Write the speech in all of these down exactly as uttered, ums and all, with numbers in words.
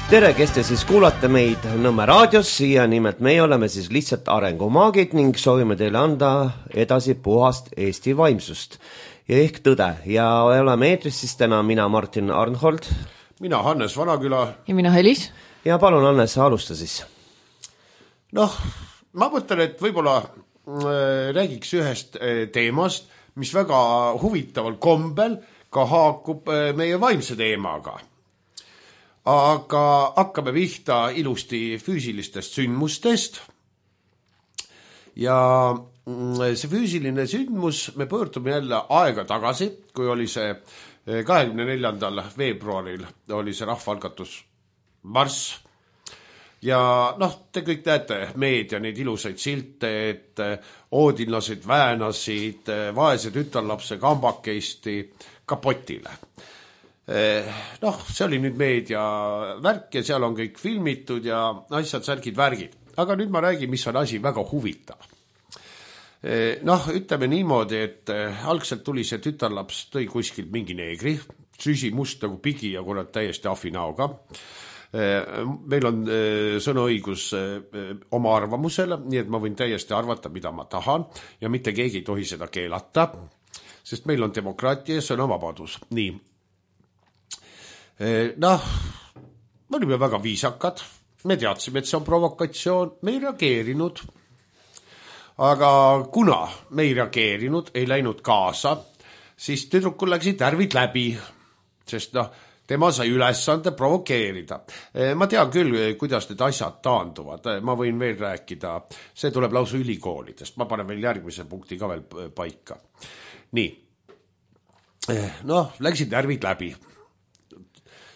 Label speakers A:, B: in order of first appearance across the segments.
A: tere, kes te siis kuulate meid Nõmme raadios ja nimelt meie oleme siis lihtsalt arengumaagid ning soovime teile anda edasi puhast Eesti vaimsust ja ehk tõde. Ja oleme eetris siis täna mina Martin Arnhold,
B: mina Hannes Vanaküla
C: ja mina Helis.
A: Ja palun Hannes, alusta siis.
B: Noh, ma mõtlen, et võib-olla äh, räägiks ühest äh, teemast, mis väga huvitaval kombel ka haakub äh, meie vaimse teemaga. Aga hakkame pihta ilusti füüsilistest sündmustest ja see füüsiline sündmus, me pöördume jälle aega tagasi, kui oli see kahekümne neljandal veebruaril oli see rahvaalgatus marss ja noh, te kõik näete meedia neid ilusaid silte, et oodinlased väänasid vaese tütarlapse kambakeisti kapotile. Noh, see oli nüüd meedia värk ja seal on kõik filmitud ja asjad, särgid, värgid. Aga nüüd ma räägin, mis on asi väga huvitav. Noh, ütleme niimoodi, et algselt tuli see tütarlaps, tõi kuskilt mingi neegri, süsi must nagu pigi ja kurat täiesti ahvinauga. Meil on sõnaõigus oma arvamusele, nii et ma võin täiesti arvata, mida ma tahan ja mitte keegi ei tohi seda keelata, sest meil on demokraatia ja sõnavabadus. Nii. Noh, me olime väga viisakad, me teadsime, et see on provokatsioon, me ei reageerinud, aga kuna me ei reageerinud, ei läinud kaasa, siis tüdrukul läksid närvid läbi, sest noh, tema sai ülesande provokeerida. Ma tean küll, kuidas need asjad taanduvad, ma võin veel rääkida, see tuleb lausa ülikoolidest, ma panen veel järgmise punkti ka veel paika. Nii, noh, läksid närvid läbi.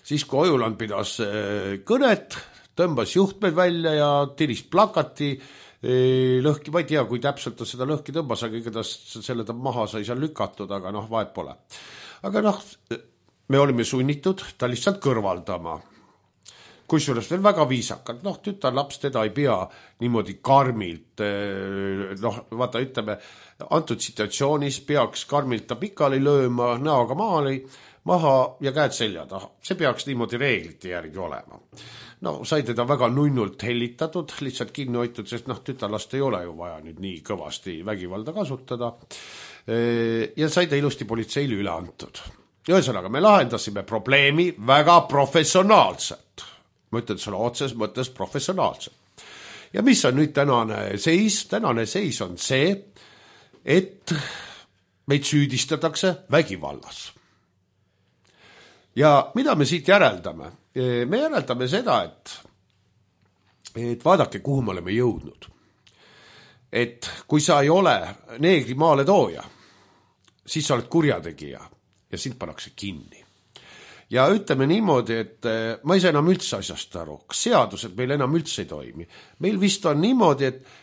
B: Siis kui Ojuland pidas kõnet, tõmbas juhtmed välja ja tiris plakati lõhki, ma ei tea, kui täpselt ta seda lõhki tõmbas, aga igatahes selle ta maha sai seal lükatud, aga noh, vahet pole. Aga noh, me olime sunnitud ta lihtsalt kõrvaldama. Kusjuures veel väga viisakalt, noh, tütarlaps teda ei pea niimoodi karmilt, noh, vaata, ütleme, antud situatsioonis peaks karmilt ta pikali lööma, näoga maali, maha ja käed selja taha. See peaks niimoodi reeglite järgi olema. No, sai teda väga nunnult hellitatud, lihtsalt kinni hoitud, sest noh, tütarlast ei ole ju vaja nüüd nii kõvasti vägivalda kasutada. Ja sai ta ilusti politseile üle antud. Ühesõnaga, me lahendasime probleemi väga professionaalselt. Ma ütlen selle otses mõttes professionaalselt. Ja mis on nüüd tänane seis? Tänane seis on see, et meid süüdistatakse vägivallas. Ja mida me siit järeldame? Me järeldame seda, et, et vaadake, kuhu me oleme jõudnud. Et kui sa ei ole neegri maale tooja, siis sa oled kurjategija ja sind pannakse kinni. Ja ütleme niimoodi, et ma ei saa enam üldse asjast aru, seadused meil enam üldse ei toimi. Meil vist on niimoodi, et,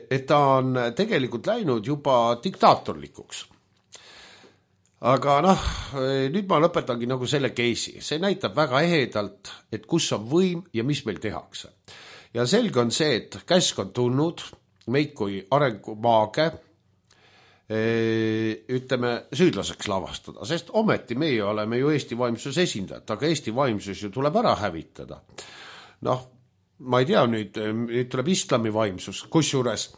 B: et ta on tegelikult läinud juba diktaatorlikuks. Aga noh, nüüd ma lõpetangi nagu selle keisi. See näitab väga ehedalt, et kus on võim ja mis meil tehakse. Ja selge on see, et käsk on tulnud meid kui arengumaage, ütleme, süüdlaseks lavastada, sest ometi meie oleme ju Eesti vaimsuse esindajad, aga Eesti vaimsus ju tuleb ära hävitada. Noh, ma ei tea nüüd, nüüd tuleb islami vaimsus, kusjuures,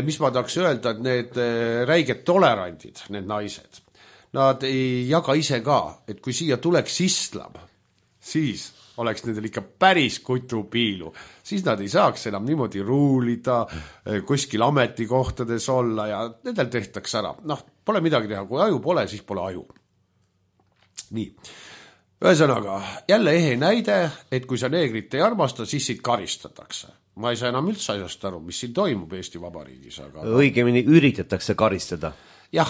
B: mis ma tahaks öelda, et need räiged tolerandid, need naised, nad ei jaga ise ka, et kui siia tuleks islam, siis oleks nendel ikka päris kutupiilu, siis nad ei saaks enam niimoodi ruulida, kuskil ametikohtades olla ja nendel tehtaks ära. Noh, pole midagi teha, kui aju pole, siis pole aju. Nii, ühesõnaga, jälle ehe näide, et kui sa neegrit ei armasta, siis siit karistatakse. Ma ei saa enam üldse asjast aru, mis siin toimub Eesti Vabariigis. Aga
A: õigemini üritatakse karistada.
B: Jah,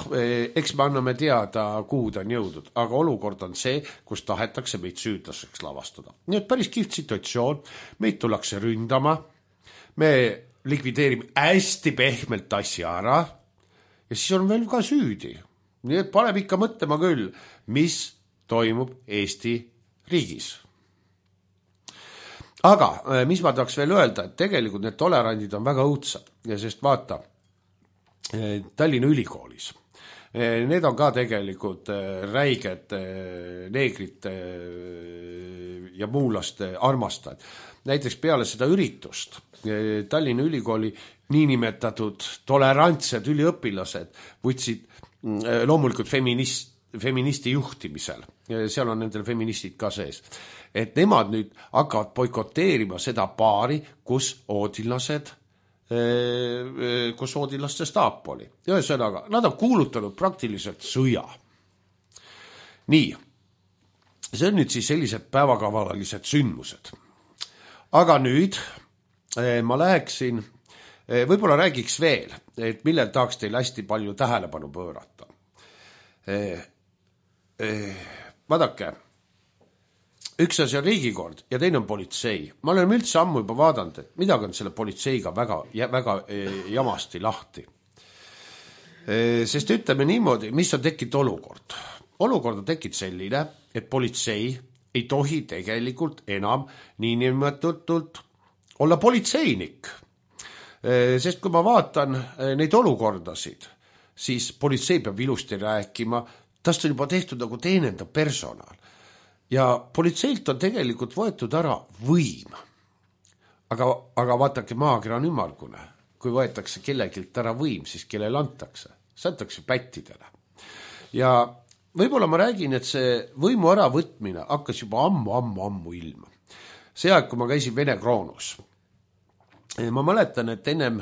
B: eks me anname teada, kuhu ta on jõudnud, aga olukord on see, kus tahetakse meid süüdlaseks lavastada. Nii et päris kihvt situatsioon, meid tullakse ründama, me likvideerime hästi pehmelt asja ära ja siis on veel ka süüdi. Nii et paneb ikka mõtlema küll, mis toimub Eesti riigis. Aga mis ma tahaks veel öelda, et tegelikult need tolerandid on väga õudsad ja sest vaata, Tallinna ülikoolis Need on ka tegelikult räiged neegrite ja muulaste armastajad. Näiteks peale seda üritust Tallinna Ülikooli niinimetatud tolerantsed üliõpilased võtsid loomulikult feminist, feministi juhtimisel, seal on nendel feministid ka sees, et nemad nüüd hakkavad boikoteerima seda paari, kus oodillased kus oodilaste staap oli. Ühesõnaga, nad on kuulutanud praktiliselt sõja. Nii, see on nüüd siis sellised päevakavalalised sündmused. Aga nüüd ma läheksin, võib-olla räägiks veel, et millel tahaks teil hästi palju tähelepanu pöörata. Vaadake, üks asi on riigikord ja teine on politsei. Ma olen üldse ammu juba vaadanud, et midagi on selle politseiga väga, väga jamasti lahti. Sest ütleme niimoodi, mis on tekkinud olukord. Olukord on tekkinud selline, et politsei ei tohi tegelikult enam niinimetatult olla politseinik. Sest kui ma vaatan neid olukordasid, siis politsei peab ilusti rääkima, tast on juba tehtud nagu teenendav personal. Ja politseilt on tegelikult võetud ära võim. Aga, aga vaatake, maakera on ümmargune. Kui võetakse kellegilt ära võim, siis kellele antakse. See antakse pättidele. Ja võib-olla ma räägin, et see võimu ära võtmine hakkas juba ammu, ammu, ammu ilma. See aeg, kui ma käisin Vene kroonus. Ma mäletan, et ennem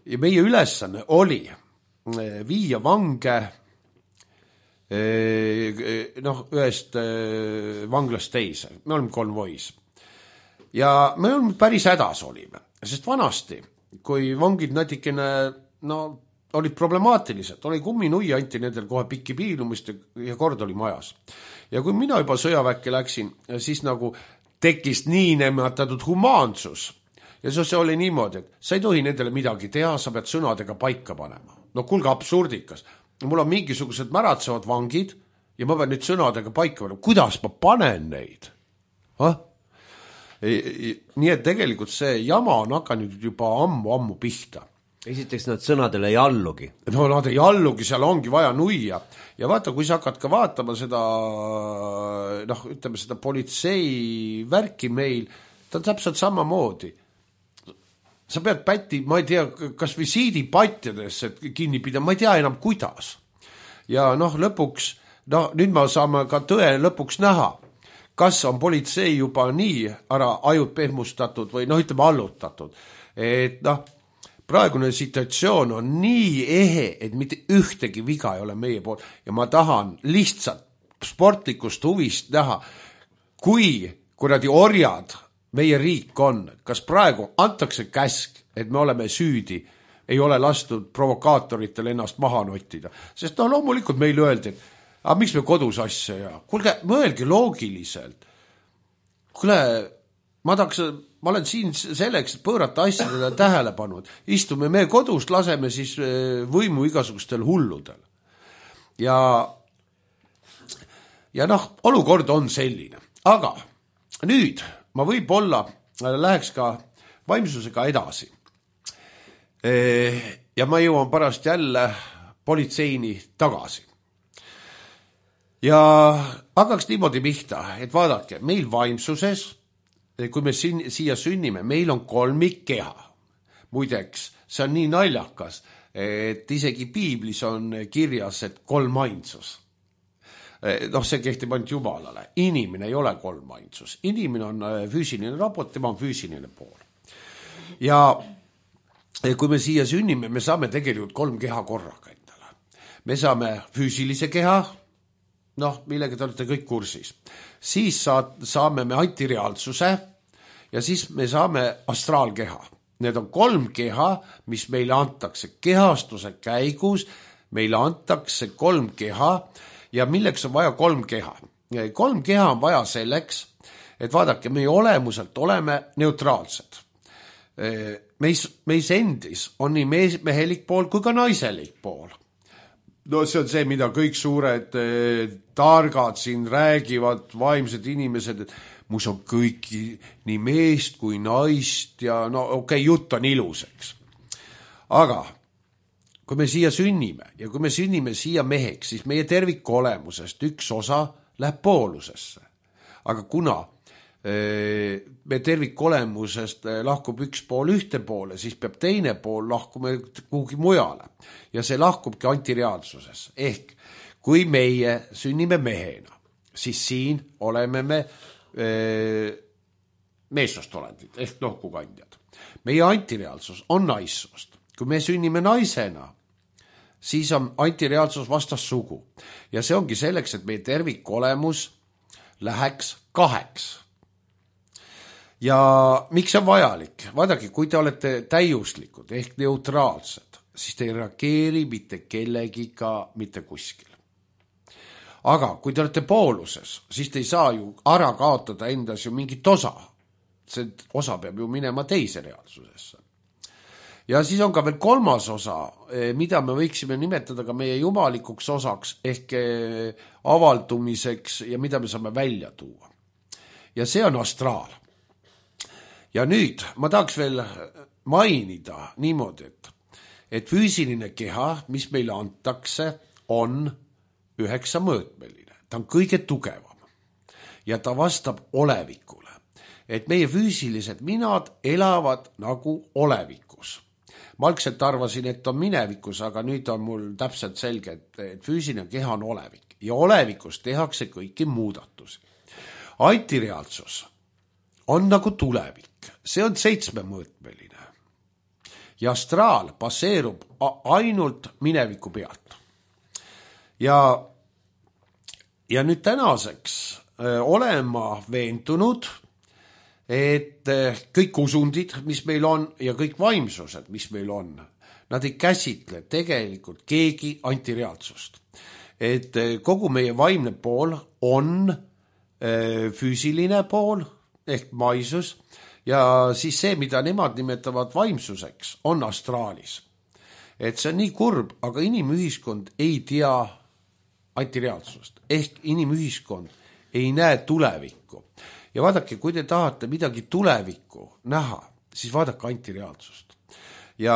B: ja meie ülesanne oli viia vange noh, ühest vanglast teise. Me olime konvois. Ja me olime päris hädas olime, sest vanasti, kui vangid natikene, no, olid problemaatilised, oli kumminui, anti nendel kohe pikki piilumist ja kord oli majas. Ja kui mina juba sõjaväkke läksin, siis nagu tekkis nii nematatud humaansus. Ja see oli niimoodi, et sa ei tohi nendele midagi teha, sa pead sõnadega paika panema. No kuulge, absurdikas. Mul on mingisugused märatsevad vangid ja ma pean nüüd sõnadega paika panema. Kuidas ma panen neid? Ah? Nii et tegelikult see jama on hakanud juba ammu-ammu pihta.
A: Esiteks nad sõnadele ei allugi.
B: No nad ei allugi, seal ongi vaja nuia. Ja vaata, kui sa hakkad ka vaatama seda, noh, ütleme seda politsei värki meil, ta on täpselt samamoodi. Sa pead pätti, ma ei tea, kas visiidipatjadesse kinni pidama, ma ei tea enam kuidas. Ja noh, lõpuks, no nüüd me saame ka tõe lõpuks näha, kas on politsei juba nii ära ajud pehmustatud või noh, ütleme allutatud. Et noh, praegune situatsioon on nii ehe, et mitte ühtegi viga ei ole meie poolt ja ma tahan lihtsalt sportlikust huvist näha, kui kuradi orjad meie riik on, kas praegu antakse käsk, et me oleme süüdi, ei ole lastud provokaatoritel ennast maha nottida. Sest no loomulikult meil öeldi, et aga miks me kodus asja ja kuulge, mõelge loogiliselt. Kuule, ma tahaks, ma olen siin selleks, et pöörata asjadele tähelepanu. Istume me kodust, laseme siis võimu igasugustel hulludel. Ja, ja noh, olukord on selline. Aga nüüd ma võib-olla läheks ka vaimsusega edasi. Ja ma jõuan pärast jälle politseini tagasi. Ja hakkaks niimoodi pihta, et vaadake, meil vaimsuses, kui me siin, siia sünnime, meil on kolmikkeha. Muideks, see on nii naljakas, et isegi piiblis on kirjas, et kolmainsus. noh, see kehtib ainult Jumalale. Inimene ei ole kolmainsus. Inimene on füüsiline raport, tema on füüsiline pool. Ja kui me siia sünnime, me saame tegelikult kolm keha korraga endale. Me saame füüsilise keha, noh, millega te olete kõik kursis. Siis saame me antireaalsuse ja siis me saame astraalkeha. Need on kolm keha, mis meile antakse kehastuse käigus. Meile antakse kolm keha ja milleks on vaja kolm keha. Kolm keha on vaja selleks, et vaadake, meie olemuselt oleme neutraalsed. Meis, meis endis on nii mehelik pool kui ka naiselik pool. No see on see, mida kõik suured eh, targad siin räägivad, vaimsed inimesed, et mus on kõiki nii meest kui naist ja no okei, okay, jutt on iluseks. Aga kui me siia sünnime ja kui me sünnime siia meheks, siis meie terviku olemusest üks osa läheb poolusesse. Aga kuna me terviku olemusest lahkub üks pool ühte poole, siis peab teine pool lahkuma kuhugi mujale. Ja see lahkubki antireaalsuses. Ehk kui meie sünnime mehena, siis siin oleme me meessoost olendid ehk lohkukandjad. Meie antireaalsus on naissoost. Kui me sünnime naisena, siis on antireaalsus vastassugu. Ja see ongi selleks, et meie terviku olemus läheks kaheks. Ja miks on vajalik? Vaadake, kui te olete täiuslikud ehk neutraalsed, siis te ei reageeri mitte kellegiga, mitte kuskil. Aga kui te olete pooluses, siis te ei saa ju ära kaotada endas ju mingit osa. See osa peab ju minema teise reaalsusesse. Ja siis on ka veel kolmas osa, mida me võiksime nimetada ka meie jumalikuks osaks ehk avaldumiseks ja mida me saame välja tuua. Ja see on astraal. Ja nüüd ma tahaks veel mainida niimoodi, et, et füüsiline keha, mis meile antakse, on üheksa mõõtmeline. Ta on kõige tugevam ja ta vastab olevikule. Et meie füüsilised minad elavad nagu olevikus. Ma algselt arvasin, et on minevikus, aga nüüd on mul täpselt selge, et, et füüsiline keha on olevik ja olevikus tehakse kõiki muudatusi. Antireaalsus on nagu tulevik, see on seitsmemõõtmeline ja astraal baseerub ainult mineviku pealt. Ja, ja nüüd tänaseks öö, olen ma veendunud, et kõik usundid, mis meil on ja kõik vaimsused, mis meil on, nad ei käsitle tegelikult keegi antireaalsust. Et kogu meie vaimne pool on füüsiline pool ehk maisus ja siis see, mida nemad nimetavad vaimsuseks, on astraalis. Et see on nii kurb, aga inimühiskond ei tea antireaalsust ehk inimühiskond ei näe tulevikku. Ja vaadake, kui te tahate midagi tulevikku näha, siis vaadake antireaalsust. Ja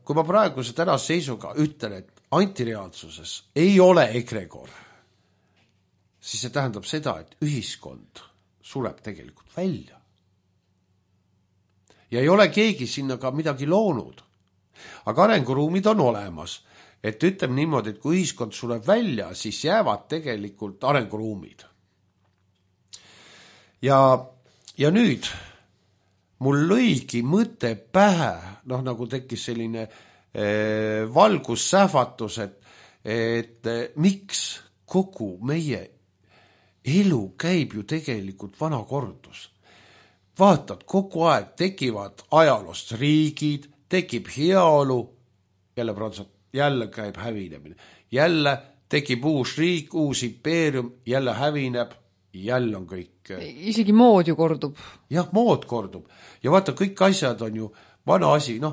B: kui ma praeguse tänase seisuga ütlen, et antireaalsuses ei ole egregor, siis see tähendab seda, et ühiskond sureb tegelikult välja. Ja ei ole keegi sinna ka midagi loonud. Aga arenguruumid on olemas. Et ütleme niimoodi, et kui ühiskond sureb välja, siis jäävad tegelikult arenguruumid. Ja, ja nüüd mul lõigi mõte pähe, noh nagu tekkis selline eh, valgussähvatus, et, et eh, miks kogu meie elu käib ju tegelikult vana kordus. Vaatad, kogu aeg tekivad ajaloost riigid, tekib heaolu, jälle, jälle käib hävinemine, jälle tekib uus riik, uus impeerium, jälle hävineb, jälle on kõik.
C: Isegi mood ju kordub.
B: Jah, mood kordub. Ja vaata, kõik asjad on ju vana asi, noh,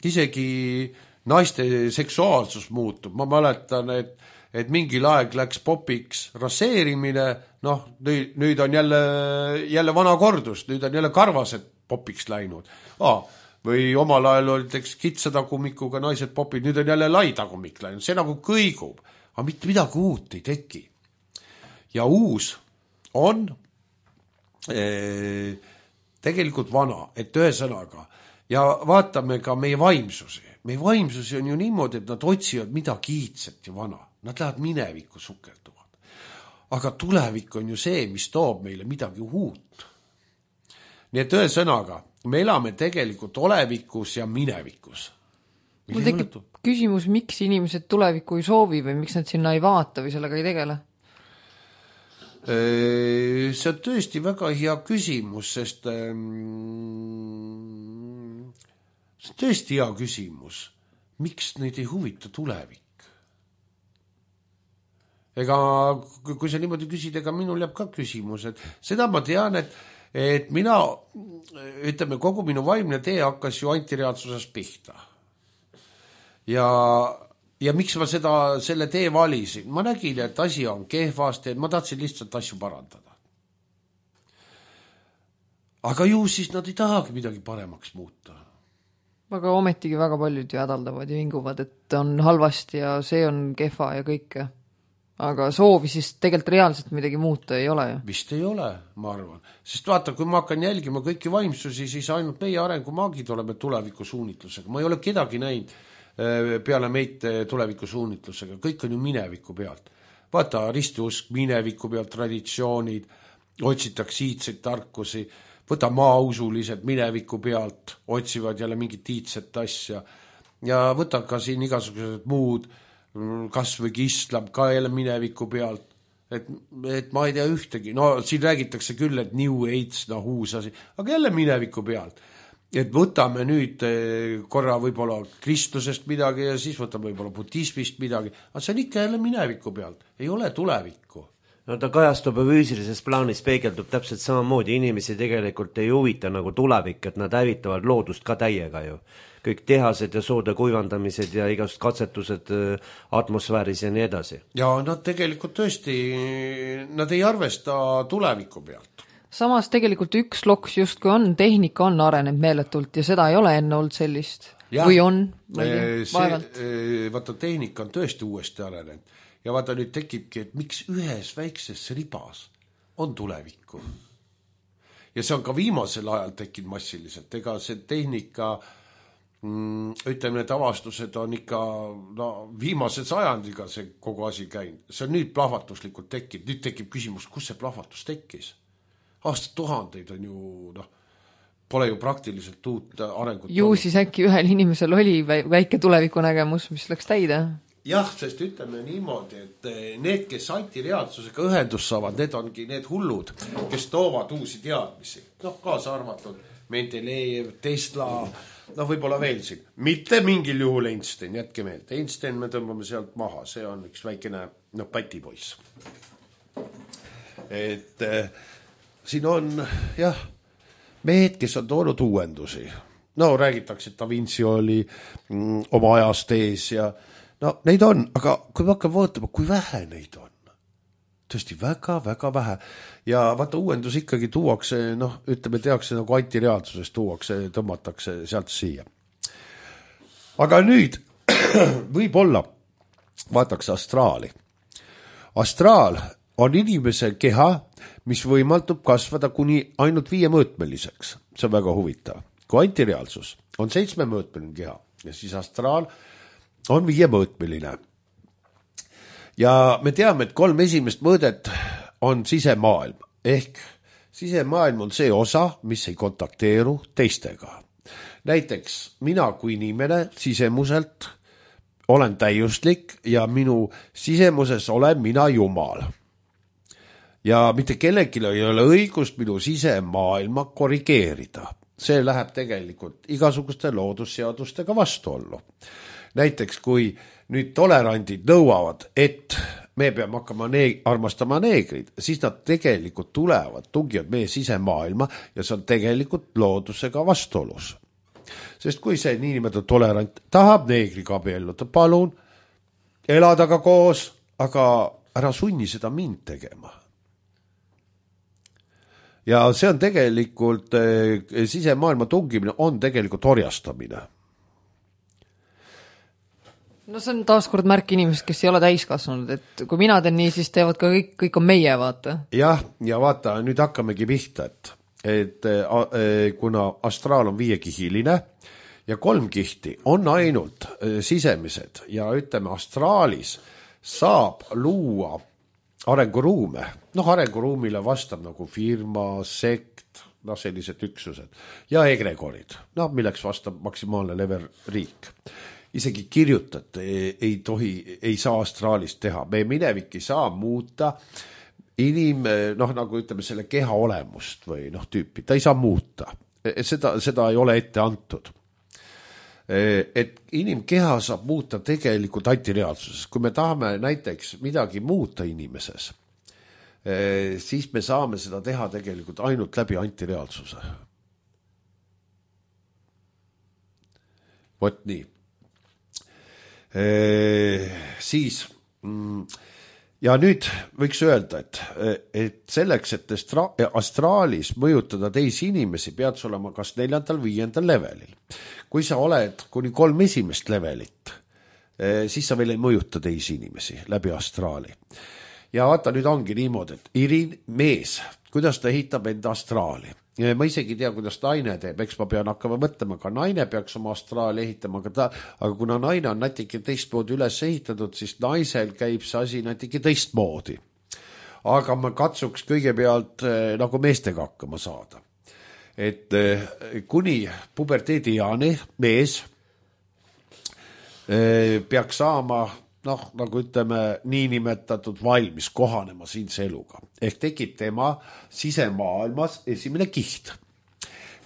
B: isegi naiste seksuaalsus muutub. Ma mäletan, et, et mingil aeg läks popiks raseerimine, noh, nüüd, nüüd on jälle, jälle vana kordus, nüüd on jälle karvased popiks läinud. Ah, või omal ajal oli teks kitsatagumikuga naised popid, nüüd on jälle laitagumik läinud, see nagu kõigub, aga mitte midagi uut ei teki. Ja uus on ee, tegelikult vana, et ühesõnaga, ja vaatame ka meie vaimsusi. Meie vaimsusi on ju niimoodi, et nad otsivad midagi iidset ja vana. Nad lähevad minevikku sukelduvad. Aga tulevik on ju see, mis toob meile midagi uut. Nii et ühesõnaga, me elame tegelikult olevikus ja minevikus.
C: Mul tekib küsimus, miks inimesed tulevikku ei soovi või miks nad sinna ei vaata või sellega ei tegele?
B: See on tõesti väga hea küsimus, sest see on tõesti hea küsimus. Miks neid ei huvita tulevik? Ega kui sa niimoodi küsid, ega minul jääb ka küsimus, et seda ma tean, et, et mina, ütleme, kogu minu vaimne tee hakkas ju antireaalsuses pihta. Ja Ja miks ma seda, selle tee valisin? Ma nägin, et asi on kehvasti, et ma tahtsin lihtsalt asju parandada. Aga ju siis nad ei tahagi midagi paremaks muuta.
C: aga ometigi väga paljud ju hädaldavad ja vinguvad, et on halvasti ja see on kehva ja kõike. Aga soovi siis tegelikult reaalselt midagi muuta ei ole ju.
B: Vist ei ole, ma arvan. Sest vaata, kui ma hakkan jälgima kõiki vaimsusi, siis ainult meie arengumaagid oleme tulevikusuunitlusega. Ma ei ole kedagi näinud peale meid tulevikusuunitlusega. Kõik on ju mineviku pealt. Vaata, ristiusk mineviku pealt, traditsioonid, otsitakse iidseid tarkusi, võta maausulised mineviku pealt, otsivad jälle mingit iidset asja ja võta ka siin igasugused muud kas või islam ka jälle mineviku pealt, et, et ma ei tea ühtegi, no siin räägitakse küll, et New Age, no uus asi, aga jälle mineviku pealt, et võtame nüüd korra võib-olla kristlusest midagi ja siis võtame võib-olla budismist midagi, aga see on ikka jälle mineviku pealt, ei ole tulevikku.
A: No ta kajastub ja füüsilises plaanis peegeldub täpselt samamoodi, inimesi tegelikult ei huvita nagu tulevik, et nad hävitavad loodust ka täiega ju. Kõik tehased ja soode kuivandamised ja igasugused katsetused atmosfääris ja nii edasi.
B: Ja nad tegelikult tõesti, nad ei arvesta tuleviku pealt.
C: Samas tegelikult üks loks justkui on, tehnika on arenenud meeletult ja seda ei ole enne olnud sellist. Ja, või on, või vaevalt.
B: Vaata, tehnika on tõesti uuesti arenenud. Ja vaata, nüüd tekibki, et miks ühes väikses ribas on tulevikku. Ja see on ka viimasel ajal tekkinud massiliselt. Ega see tehnika, mm, ütleme, need avastused on ikka no, viimase sajandiga see kogu asi käinud. See on nüüd plahvatuslikult tekkinud. Nüüd tekib küsimus, kus see plahvatus tekkis? Aastad tuhandeid on ju, noh, pole ju praktiliselt uut arengut.
C: Ju siis äkki ühel inimesel oli väike tulevikunägemus, mis läks täide?
B: Jah, sest ütleme niimoodi, et need, kes antireaalsusega ühendus saavad, need ongi need hullud, kes toovad uusi teadmisi. Noh, kaasa arvatud Mendelejev, Tesla, noh, võib-olla veel siin. Mitte mingil juhul Einstein, jätke meelde. Einstein me tõmbame sealt maha, see on üks väikene, noh, pätipoiss. Et äh, siin on, jah, mehed, kes on toonud uuendusi. No, räägitakse, et Da Vinci oli mm, oma ajast ees ja no neid on, aga kui me hakkame vaatama, kui vähe neid on, tõesti väga, väga vähe. Ja vaata, uuendus ikkagi tuuakse, noh, ütleme, tehakse nagu antireaalsusest tuuakse, tõmmatakse sealt siia. Aga nüüd võib-olla vaataks astraali. Astraal on inimese keha, mis võimaldub kasvada kuni ainult viiemõõtmeliseks. See on väga huvitav. Kui antireaalsus on seitsmemõõtmeline keha ja siis astraal on viiemõõtmeline. Ja me teame, et kolm esimest mõõdet on sisemaailm. Ehk sisemaailm on see osa, mis ei kontakteeru teistega. Näiteks mina kui inimene sisemuselt olen täiuslik ja minu sisemuses olen mina Jumal. Ja mitte kellelgi ei ole õigust minu sisemaailma korrigeerida. See läheb tegelikult igasuguste loodusseadustega vastuollu. Näiteks, kui nüüd tolerandid nõuavad, et me peame hakkama neeg- armastama neegrid, siis nad tegelikult tulevad, tungivad meie sisemaailma ja see on tegelikult loodusega vastuolus. Sest kui see niinimetatud tolerant tahab neegriga abielluda, palun, elada ka koos, aga ära sunni seda mind tegema. Ja see on tegelikult, eh, sisemaailma tungimine on tegelikult orjastamine.
C: No see on taaskord märk inimesed, kes ei ole täiskasvanud, et kui mina teen nii, siis teevad ka kõik, kõik on meie, vaata.
B: Jah, ja vaata, nüüd hakkamegi pihta, et, et äh, kuna astraal on viiekihiline ja kolm kihti on ainult äh, sisemised ja ütleme, astraalis saab luua arenguruume. Noh, arenguruumile vastab nagu firma, sekt, noh, sellised üksused ja egregorid, noh, milleks vastab maksimaalne level riik. Isegi kirjutat ei, ei tohi, ei saa astraalist teha. Meie minevik ei saa muuta inim, noh, nagu ütleme, selle keha olemust või noh, tüüpi. Ta ei saa muuta. Seda, seda ei ole ette antud. Et inimkeha saab muuta tegelikult antireaalsuses. Kui me tahame näiteks midagi muuta inimeses, siis me saame seda teha tegelikult ainult läbi antireaalsuse. Vot nii. Ee, siis mm, ja nüüd võiks öelda, et, et selleks, et astraalis mõjutada teisi inimesi, pead sa olema kas neljandal, viiendal levelil. Kui sa oled kuni kolm esimest levelit, siis sa veel ei mõjuta teisi inimesi läbi astraali. Ja vaata, nüüd ongi niimoodi, et Irin mees, kuidas ta ehitab enda astraali. Ma isegi tea, kuidas naine teeb, eks ma pean hakkama mõtlema, ka naine peaks oma astraali ehitama, aga, ta, aga kuna naine on natuke teistmoodi üles ehitatud, siis naisel käib see asi natuke teistmoodi. Aga ma katsuks kõigepealt nagu meestega hakkama saada. Et kuni puberteediani mees peaks saama, noh, nagu ütleme, niinimetatud valmis kohanema siinse eluga. Ehk tekib tema sisemaailmas esimene kiht.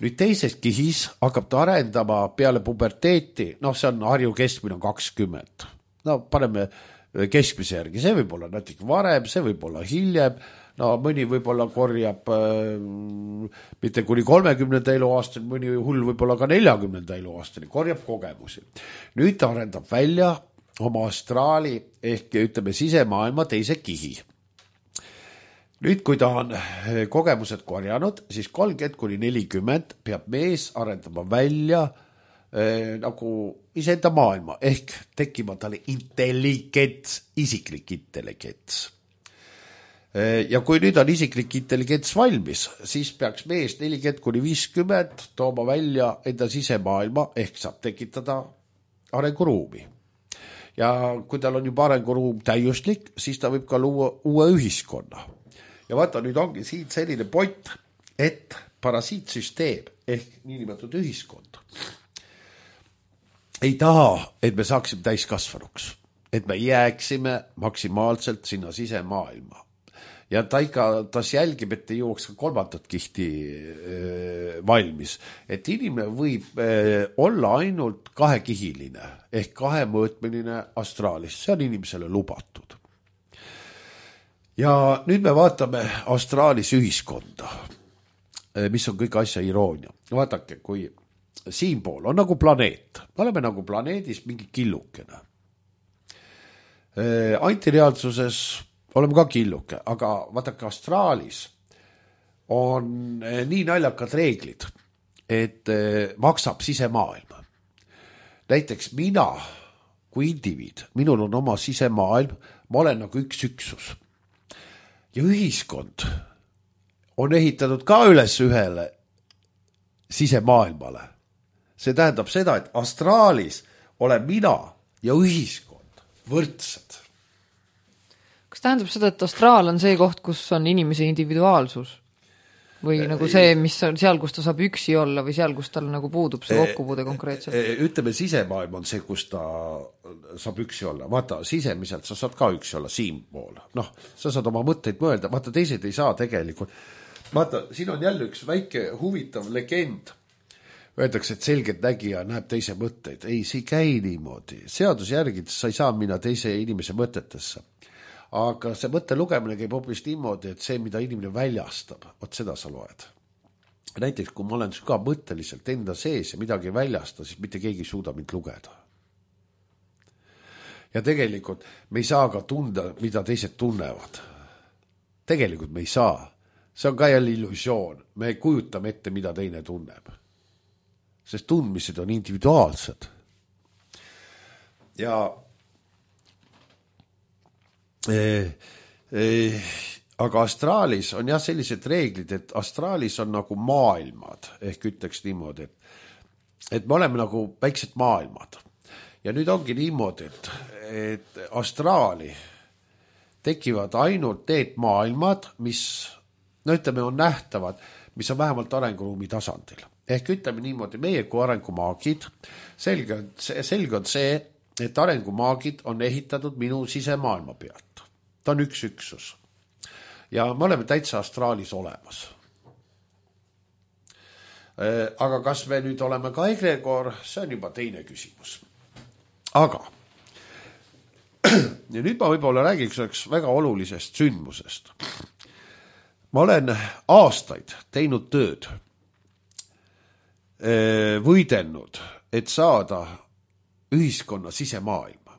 B: Nüüd teises kihis hakkab ta arendama peale puberteeti, noh, see on Harju keskmine on kakskümmend. No paneme keskmise järgi, see võib olla natuke varem, see võib olla hiljem, no mõni võib-olla korjab äh, mitte kuni kolmekümnenda eluaastani, mõni hull võib-olla ka neljakümnenda eluaastani, korjab kogemusi. Nüüd ta arendab välja oma astraali ehk ütleme sisemaailma teise kihi. Nüüd, kui ta on kogemused korjanud, siis kolmkümmend kuni nelikümmend peab mees arendama välja eh, nagu iseenda maailma ehk tekkima talle intelligents, isiklik intelligents. Eh, ja kui nüüd on isiklik intelligents valmis, siis peaks mees nelikümmend kuni viiskümmend tooma välja enda sisemaailma ehk saab tekitada arenguruumi. Ja kui tal on juba arenguruum täiuslik, siis ta võib ka luua uue ühiskonna. Ja vaata, nüüd ongi siin selline point, et parasiitsüsteem ehk niinimetatud ühiskond ei taha, et me saaksime täiskasvanuks, et me jääksime maksimaalselt sinna sisemaailma. Ja ta ikka tas jälgib, et ei jõuaks ka kolmandat kihti äh, valmis. Et inimene võib äh, olla ainult kahekihiline ehk kahemõõtmeline astraalis. See on inimesele lubatud. Ja nüüd me vaatame astraalis ühiskonda, äh, mis on kõik asja iroonia. Vaadake, kui siinpool on nagu planeet. Me oleme nagu planeedis mingi killukene. Äh, antireaalsuses oleme ka killuke, aga vaadake, astraalis on nii naljakad reeglid, et maksab sisemaailma. Näiteks mina kui indiviid, minul on oma sisemaailm, ma olen nagu üks üksus. Ja ühiskond on ehitatud ka üles ühele sisemaailmale. See tähendab seda, et astraalis olen mina ja ühiskond võrdsed.
C: Kas tähendab seda, et astraal on see koht, kus on inimese individuaalsus? Või nagu see, mis on seal, kus ta saab üksi olla või seal, kus tal nagu puudub see kokkupuude konkreetselt?
B: Ütleme, sisemaailm on see, kus ta saab üksi olla. Vaata, sisemiselt sa saad ka üksi olla siinpool. Noh, sa saad oma mõtteid mõelda. Vaata, teised ei saa tegelikult. Vaata, siin on jälle üks väike huvitav legend. Öeldakse, et selgelt nägija näeb teise mõtteid. Ei, see ei käi niimoodi. Seadus järgides sa ei saa minna teise inimese mõtetesse. Aga see mõtte lugemine käib hoopis niimoodi, et see, mida inimene väljastab, vot seda sa loed. Näiteks, kui ma olen ka mõtteliselt enda sees ja midagi väljasta, siis mitte keegi ei suuda mind lugeda. Ja tegelikult me ei saa ka tunda, mida teised tunnevad. Tegelikult me ei saa. See on ka jälle illusioon. Me kujutame ette, mida teine tunneb. Sest tundmised on individuaalsed. Ja Eh, eh, aga astraalis on jah sellised reeglid, et astraalis on nagu maailmad, ehk ütleks niimoodi, et, et me oleme nagu väiksed maailmad. Ja nüüd ongi niimoodi, et, et astraali tekivad ainult need maailmad, mis, no ütleme, on nähtavad, mis on vähemalt arenguruumi tasandil. Ehk ütleme niimoodi, meie kui arengumaagid, selge, selge on see, et arengumaagid on ehitatud minu sisemaailma pealt. Ta on üks üksus. Ja me oleme täitsa astraalis olemas. Aga kas me nüüd oleme ka egregor, see on juba teine küsimus. Aga ja nüüd ma võib-olla räägiks üks väga olulisest sündmusest. Ma olen aastaid teinud tööd, võidelnud, et saada ühiskonna sisemaailma.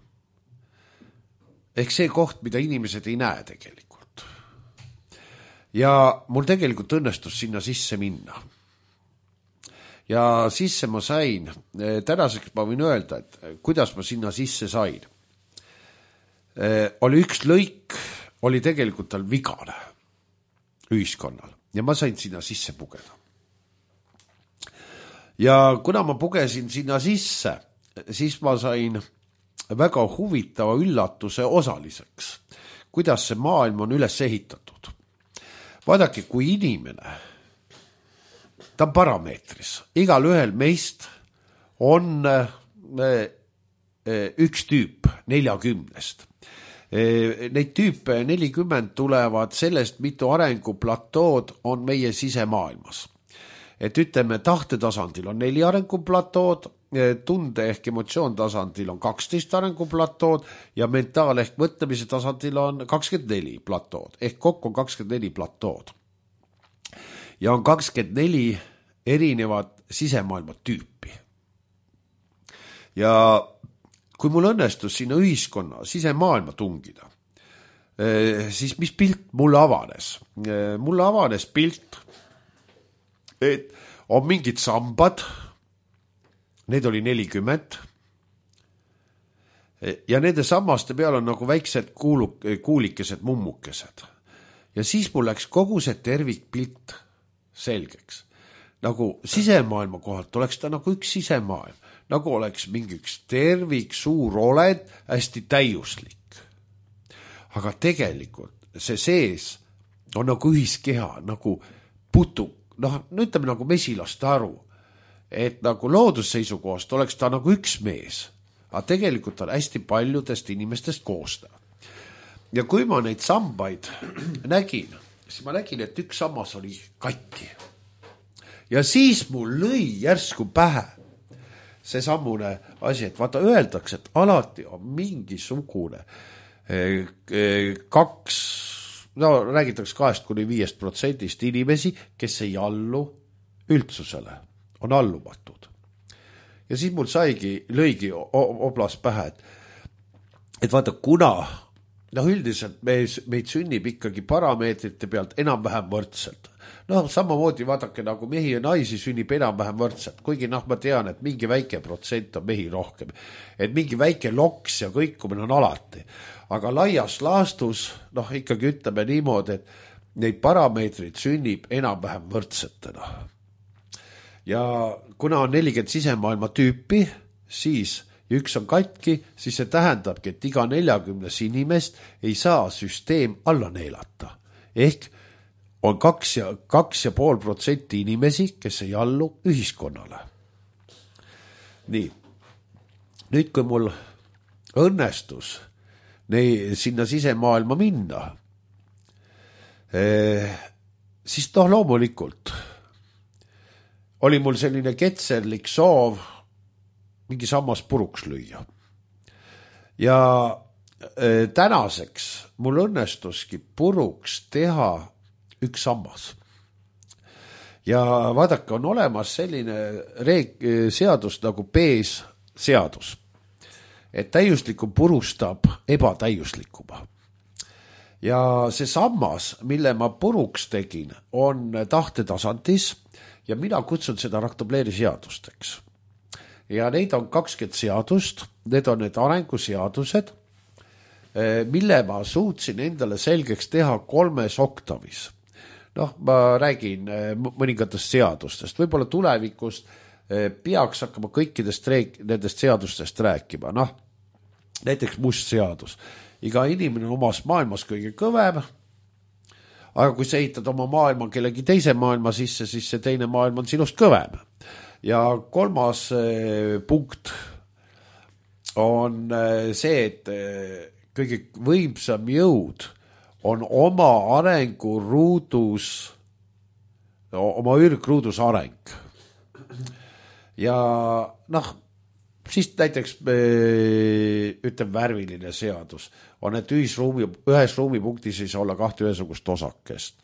B: ehk see koht, mida inimesed ei näe tegelikult. Ja mul tegelikult õnnestus sinna sisse minna. Ja sisse ma sain, tänaseks ma võin öelda, et kuidas ma sinna sisse sain. Oli üks lõik, oli tegelikult tal vigane ühiskonnal ja ma sain sinna sisse pugeda. Ja kuna ma pugesin sinna sisse, siis ma sain väga huvitava üllatuse osaliseks, kuidas see maailm on üles ehitatud. Vaadake, kui inimene, ta on parameetris, igal ühel meist on üks tüüp neljakümnest. Neid tüüpe nelikümmend tulevad sellest, mitu arenguplatood on meie sisemaailmas. Et ütleme, tahtetasandil on neli arenguplatood, tunde ehk emotsioon tasandil on kaksteist arenguplatood ja mentaal ehk mõtlemise tasandil on kakskümmend neli platood, ehk kokku on kakskümmend neli platood. Ja on kakskümmend neli erinevat sisemaailma tüüpi. Ja kui mul õnnestus sinna ühiskonna sisemaailma tungida, siis mis pilt mulle avanes? Mulle avanes pilt, et on mingid sambad, need oli nelikümmend, ja nende sammaste peal on nagu väiksed kuuluk, kuulikesed, mummukesed. Ja siis mul läks kogu see tervikpilt selgeks. Nagu sisemaailma kohalt oleks ta nagu üks sisemaailm, nagu oleks mingi üks tervik, suur oled, hästi täiuslik. Aga tegelikult see sees on nagu ühiskeha, nagu putu, noh, ütleme nagu mesilaste aru, et nagu loodusseisukohast oleks ta nagu üks mees, aga tegelikult on hästi paljudest inimestest koostada. Ja kui ma neid sambaid nägin, siis ma nägin, et üks sammas oli katki. Ja siis mul lõi järsku pähe see sammune asi, et vaata, öeldakse, et alati on mingisugune kaks, no räägitakse kahest kuni viiest protsendist inimesi, kes ei allu üldsusele, on allumatud. Ja siis mul saigi, lõigi oblas pähe, et, et vaata, kuna, noh üldiselt me, meid sünnib ikkagi parameetrite pealt enam-vähem võrdselt. No samamoodi vaadake, nagu mehi ja naisi sünnib enam-vähem võrdselt, kuigi noh, ma tean, et mingi väike protsent on mehi rohkem, et mingi väike loks ja kõikumine on alati. Aga laias laastus, noh ikkagi ütleme niimoodi, et neid parameetrid sünnib enam-vähem võrdsetena. Ja kuna on nelikümmend sisemaailma tüüpi, siis ja üks on katki, siis see tähendabki, et iga neljakümnes inimest ei saa süsteem alla neelata. Ehk on kaks ja, kaks ja pool protsenti inimesi, kes ei allu ühiskonnale. Nii. Nüüd, kui mul õnnestus nei, sinna sisemaailma minna, eh, siis noh, loomulikult oli mul selline ketserlik soov mingi sammas puruks lüüa. Ja eh, tänaseks mul õnnestuski puruks teha üks sammas. Ja vaadake, on olemas selline reeg, seadus nagu Pees seadus, et täiuslikum purustab ebatäiuslikuma. Ja see sammas, mille ma puruks tegin, on tahtetasandis ja mina kutsun seda Raktobleri seadusteks. Ja neid on kakskümmend seadust, need on need arenguseadused, mille ma suutsin endale selgeks teha kolmes oktavis. Noh, ma räägin mõningatest seadustest, võib-olla tulevikust peaks hakkama kõikidest reeg- nendest seadustest rääkima. Noh, näiteks must seadus. Iga inimene on omas maailmas kõige kõvem, aga kui sa ehitad oma maailma kellegi teise maailma sisse, siis see teine maailm on sinust kõvem. Ja kolmas eh, punkt on eh, see, et eh, kõige võimsam jõud on oma arenguruudus, oma ürgruudus areng. Ja noh, siis näiteks ütleb värviline seadus, on, et ühisruumi, ühes ruumipunktis ei saa olla kahte ühesugust osakest.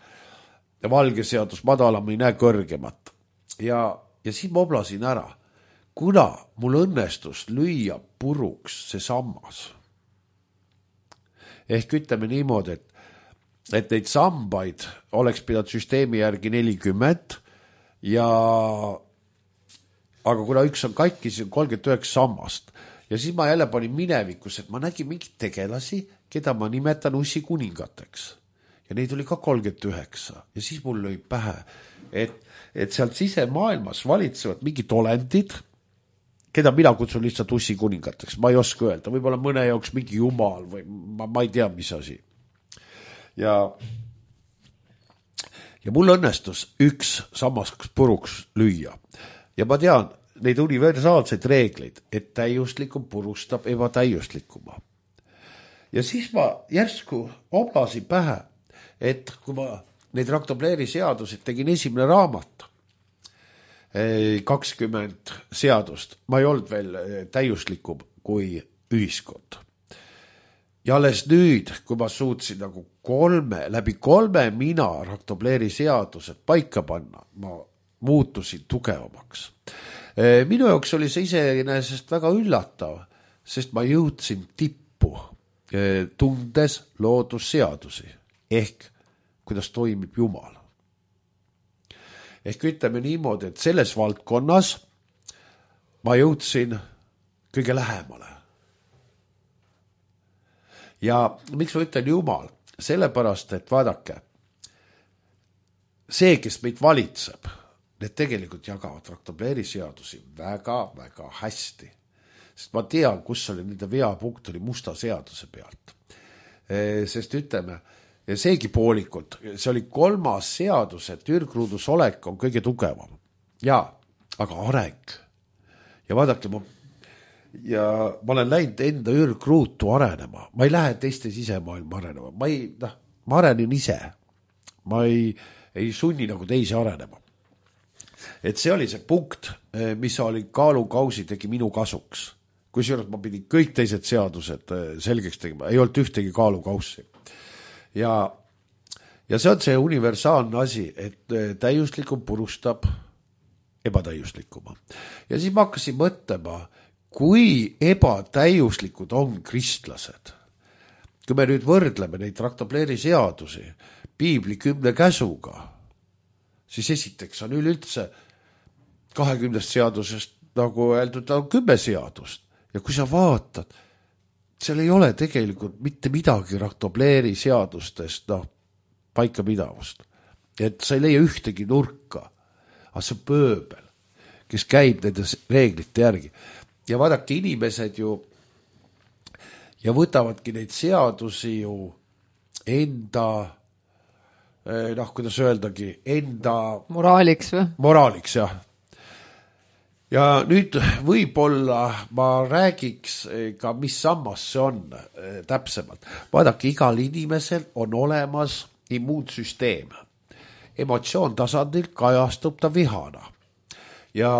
B: Ja valge seadus, madalam ei näe kõrgemat. Ja, ja siis ma oblasin ära, kuna mul õnnestus lüüa puruks see sammas. ehk ütleme niimoodi, et, et neid sambaid oleks pidanud süsteemi järgi nelikümmend ja aga kuna üks on katki, siis on kolmkümmend üheksa sammast ja siis ma jälle panin minevikus, et ma nägin mingit tegelasi, keda ma nimetan ussi kuningateks ja neid oli ka kolmkümmend üheksa ja siis mul lõi pähe, et, et sealt sisemaailmas valitsevad mingid olendid, keda mina kutsun lihtsalt ussi kuningateks, ma ei oska öelda, võib-olla mõne jaoks mingi jumal või ma, ma ei tea, mis asi. Ja, ja mul õnnestus üks sammas puruks lüüa ja ma tean neid universaalseid reegleid, et täiuslikum purustab ebatäiuslikuma. Ja siis ma järsku obasin pähe, et kui ma neid Raktobleri seadusid tegin esimene raamat, kakskümmend seadust, ma ei olnud veel täiuslikum kui ühiskond. Ja alles nüüd, kui ma suutsin nagu kolme, läbi kolme mina Raktobleri seadused paika panna, ma muutusin tugevamaks. Minu jaoks oli see iseenesest väga üllatav, sest ma jõudsin tippu, tundes loodusseadusi, ehk kuidas toimib Jumal. Ehk ütleme niimoodi, et selles valdkonnas ma jõudsin kõige lähemale. Ja miks ma ütlen Jumal? Sellepärast, et vaadake, see, kes meid valitseb, need tegelikult jagavad Raktobleri seadusi väga-väga hästi. Sest ma tean, kus oli nende veapunkt oli musta seaduse pealt. Sest ütleme, ja seegi poolikult, see oli kolmas seadus, et ürgruudus olek on kõige tugevam. Ja, aga areng. Ja vaadake, ma, ja ma olen läinud enda ürgruutu arenema. Ma ei lähe teiste sisemaailma arenema. Ma, ei, noh, ma arenin ise. Ma ei, ei sunni nagu teisi arenema. Et see oli see punkt, mis oli kaalukausi tegi minu kasuks. Kui seejuures ma pidin kõik teised seadused selgeks tegema. Ei olnud ühtegi kaalukaussi. Ja, ja see on see universaalne asi, et täiuslikum purustab ebatäiuslikuma. Ja siis ma hakkasin mõtlema, kui ebatäiuslikud on kristlased. Kui me nüüd võrdleme neid Raktobleri seadusi piibli kümne käsuga, siis esiteks on üleüldse kahekümnest seadusest, nagu öeldud, on kümme seadust. Ja kui sa vaatad, seal ei ole tegelikult mitte midagi Raktobleri seadustest no, paika pidavust. Et sa ei leia ühtegi nurka, aga see pööbel, kes käib nende reeglite järgi. Ja vaadake, inimesed ju ja võtavadki neid seadusi ju enda, noh, kuidas öeldagi, enda
C: moraaliks või?
B: Moraaliks, jah. Ja nüüd võib-olla ma räägiks ka, mis sammas see on täpsemalt. Vaadake, igal inimesel on olemas immuunsüsteem. Emotsioon tasandil kajastub ta vihana. Ja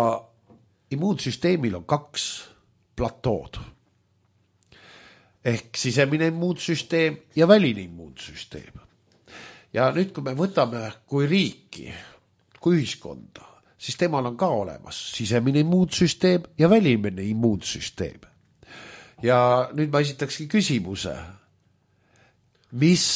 B: immuunsüsteemil on kaks platood. Ehk sisemine immuunsüsteem ja väline immuunsüsteem. Ja nüüd, kui me võtame kui riiki, kui ühiskonda, siis temal on ka olemas sisemine immuunsüsteem ja välimine immuunsüsteem. Ja nüüd ma esitakski küsimuse, mis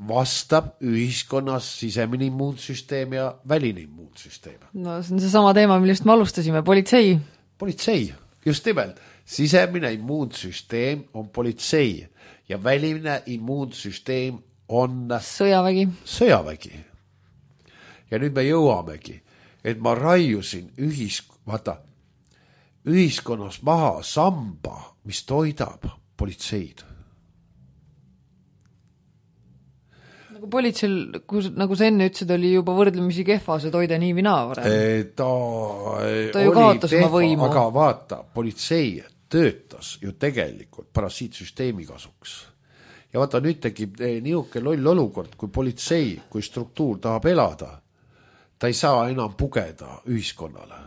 B: vastab ühiskonnas sisemine immuunsüsteem ja väline immuunsüsteem?
C: No see on see sama teema, millest me alustasime, politsei.
B: Politsei, just nimelt. Sisemine immuunsüsteem on politsei ja väline immuunsüsteem on
C: sõjavägi.
B: Sõjavägi. Ja nüüd me jõuamegi, et ma raiusin ühisk- vaata, ühiskonnas maha samba, mis toidab politseid.
C: Nagu politseil, kus, nagu sa enne ütlesid, oli juba võrdlemisi kehva see toide nii vina varem.
B: Ta,
C: ta ju kaotas oma võimu.
B: Aga vaata, politsei töötas ju tegelikult parasiitsüsteemi kasuks. Ja vaata, nüüd tekib niuke loll olukord, kui politsei, kui struktuur tahab elada, ta ei saa enam pugeda ühiskonnale.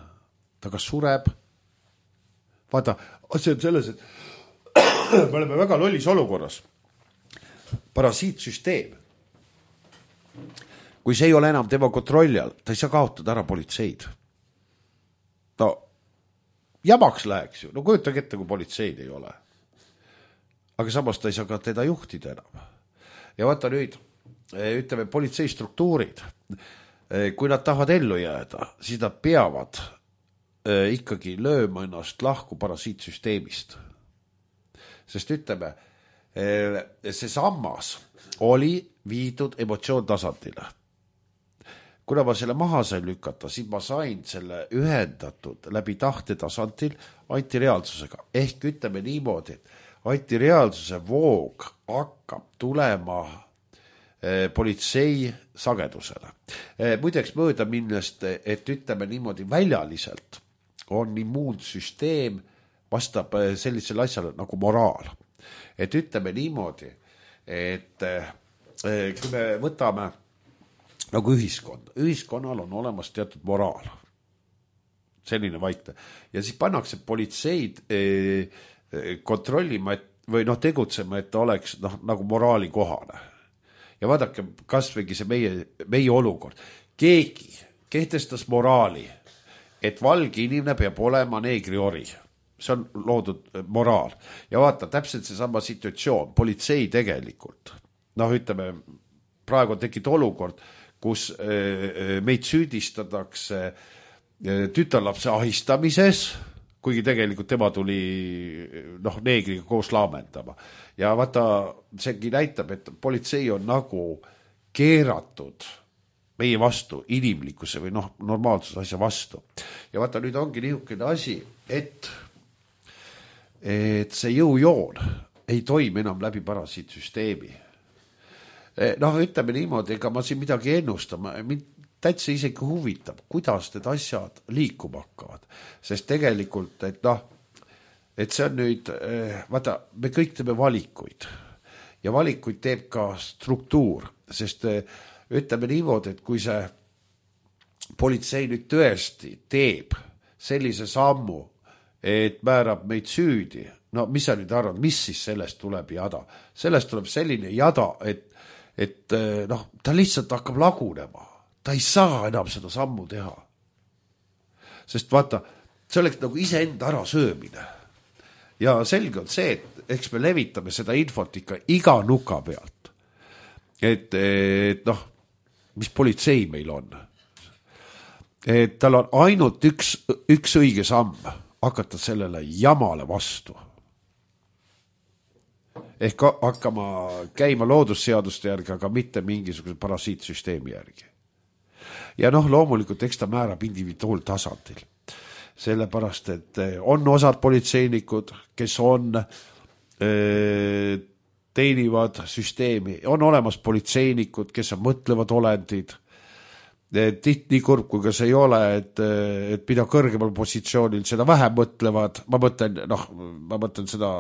B: Ta kas sureb. Vaata, see on selles, et me oleme väga lollis olukorras. Parasiitsüsteem. Kui see ei ole enam tema kontrolli all, ta ei saa kaotada ära politseid. No, jamaks läheks ju. No kujutage ette, kui politseid ei ole. Aga samas ta ei saa ka teda juhtida enam. ja vaata nüüd, ütleme, politseistruktuurid, kui nad tahavad ellu jääda, siis nad peavad ikkagi lööma ennast lahku parasiitsüsteemist. Sest ütleme, see sammas oli viidud emotsioon tasandile. Kuna ma selle maha sain lükata, siis ma sain selle ühendatud läbi tahte tasandil antireaalsusega. Ehk ütleme niimoodi, et antireaalsuse voog hakkab tulema eh, politsei sagedusele. Eh, muideks mööda millest, et ütleme niimoodi väljaliselt on immuunsüsteem vastab sellisele asjale nagu moraal. Et ütleme niimoodi, et eh, kui me võtame nagu ühiskond. Ühiskonnal on olemas teatud moraal. Selline vaikne. Ja siis pannakse politseid eh, kontrollima et, või noh, tegutsema, et ta oleks noh, nagu moraali kohane. Ja vaadake, kas võigi see meie, meie olukord. Keegi kehtestas moraali, et valge inimene peab olema neegri ori. See on loodud moraal. Ja vaata, täpselt see sama situatsioon. Politsei tegelikult. Noh, ütleme, praegu on tekkinud olukord, kus meid süüdistatakse tütarlapse ahistamises, kuigi tegelikult tema tuli noh, neegriga koos laamendama. Ja vaata, seegi näitab, et politsei on nagu keeratud meie vastu, inimlikkuse või noh, normaalsuse asja vastu. Ja vaata, nüüd ongi niisugune asi, et, et see jõujoon ei toimi enam läbi parasiitsüsteemi. Noh, ütleme niimoodi, ega ma siin midagi ennustama, mind täitsa isegi huvitab, kuidas need asjad liikuma hakkavad. Sest tegelikult, et noh, et see on nüüd, vaata, me kõik teeme valikuid ja valikuid teeb ka struktuur, sest ütleme niimoodi, et kui see politsei nüüd tõesti teeb sellise sammu, et määrab meid süüdi, no mis sa nüüd arvad, mis siis sellest tuleb jada? Sellest tuleb selline jada, et et noh, ta lihtsalt hakkab lagunema. Ta ei saa enam seda sammu teha. Sest vaata, see oleks nagu iseenda ära söömine. Ja selge on see, et eks me levitame seda infot ikka iga nuka pealt. Et, et noh, mis politsei meil on. Et tal on ainult üks, üks õige samm hakata sellele jamale vastu. Ehk hakkama käima loodusseaduste järgi, aga mitte mingisuguse parasiitsüsteemi järgi. Ja noh, loomulikult eks ta määrab individuaaltasandil. Sellepärast, et on osad politseinikud, kes on äh, teenivad süsteemi, on olemas politseinikud, kes on mõtlevad olendid. Tiht nii kurb, kui ka see ei ole, et, et mida kõrgemal positsioonil seda vähem mõtlevad. Ma mõtlen, noh, ma mõtlen seda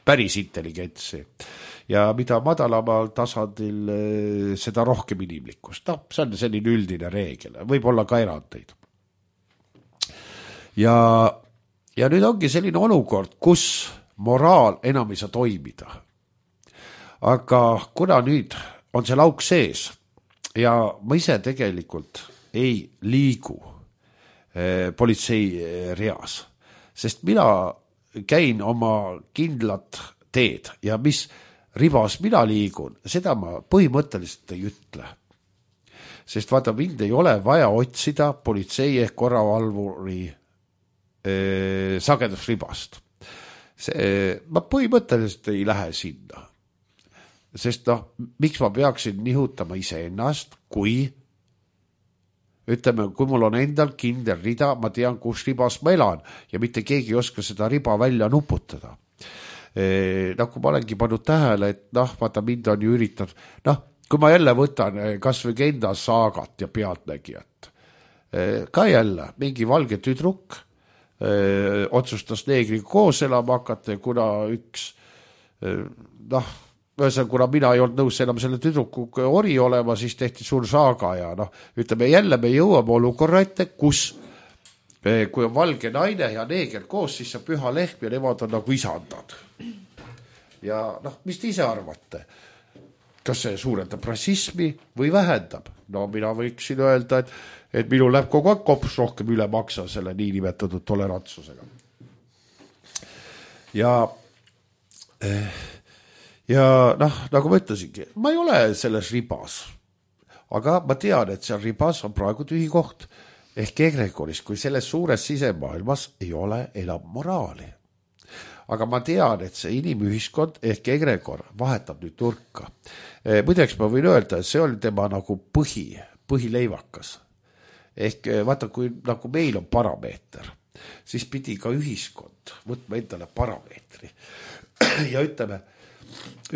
B: päris intelligentsi. Ja mida madalamal tasandil, seda rohkem inimlikkust. No, see on selline üldine reegel. Võib olla ka erandeid. Ja, ja nüüd ongi selline olukord, kus moraal enam ei saa toimida. Aga kuna nüüd on see lauk sees ja ma ise tegelikult ei liigu eh, politsei reas, sest mina käin oma kindlat teed ja mis ribas mina liigun, seda ma põhimõtteliselt ei ütle. Sest vaata, mind ei ole vaja otsida politsei ehk korravalvuri eh, sagedusribast. See, ma põhimõtteliselt ei lähe sinna. Sest noh, miks ma peaksin nihutama iseennast, kui ütleme, kui mul on endal kindel rida, ma tean, kus ribas ma elan ja mitte keegi ei oska seda riba välja nuputada. E, nagu ma olengi pannud tähele, et noh, vaata mind on ju üritanud, noh, kui ma jälle võtan kas või enda saagat ja pealtnägijat, e, ka jälle mingi valge tüdruk e, otsustas neegriga koos elama hakata, kuna üks e, noh, Ühesõnaga, kuna mina ei olnud nõus enam selle tüdruku ori olema, siis tehti suur saaga ja noh, ütleme jälle me jõuame olukorra ette, kus kui on valge naine ja neeger koos, siis see püha lehm ja nemad on nagu isandad. Ja noh, mis te ise arvate? Kas see suurendab rassismi või vähendab? No mina võiksin öelda, et, et minu läheb kogu aeg kops rohkem üle maksa selle niinimetatud tolerantsusega. Ja... Eh, ja noh, nagu ma ütlesingi, ma ei ole selles ribas, aga ma tean, et seal ribas on praegu tühi koht ehk egregoris, kui selles suures sisemaailmas ei ole enam moraali. Aga ma tean, et see inimühiskond ehk egregor vahetab nüüd nurka. Muideks ma võin öelda, et see oli tema nagu põhi, põhileivakas. Ehk vaata, kui nagu meil on parameeter, siis pidi ka ühiskond võtma endale parameetri. Ja ütleme,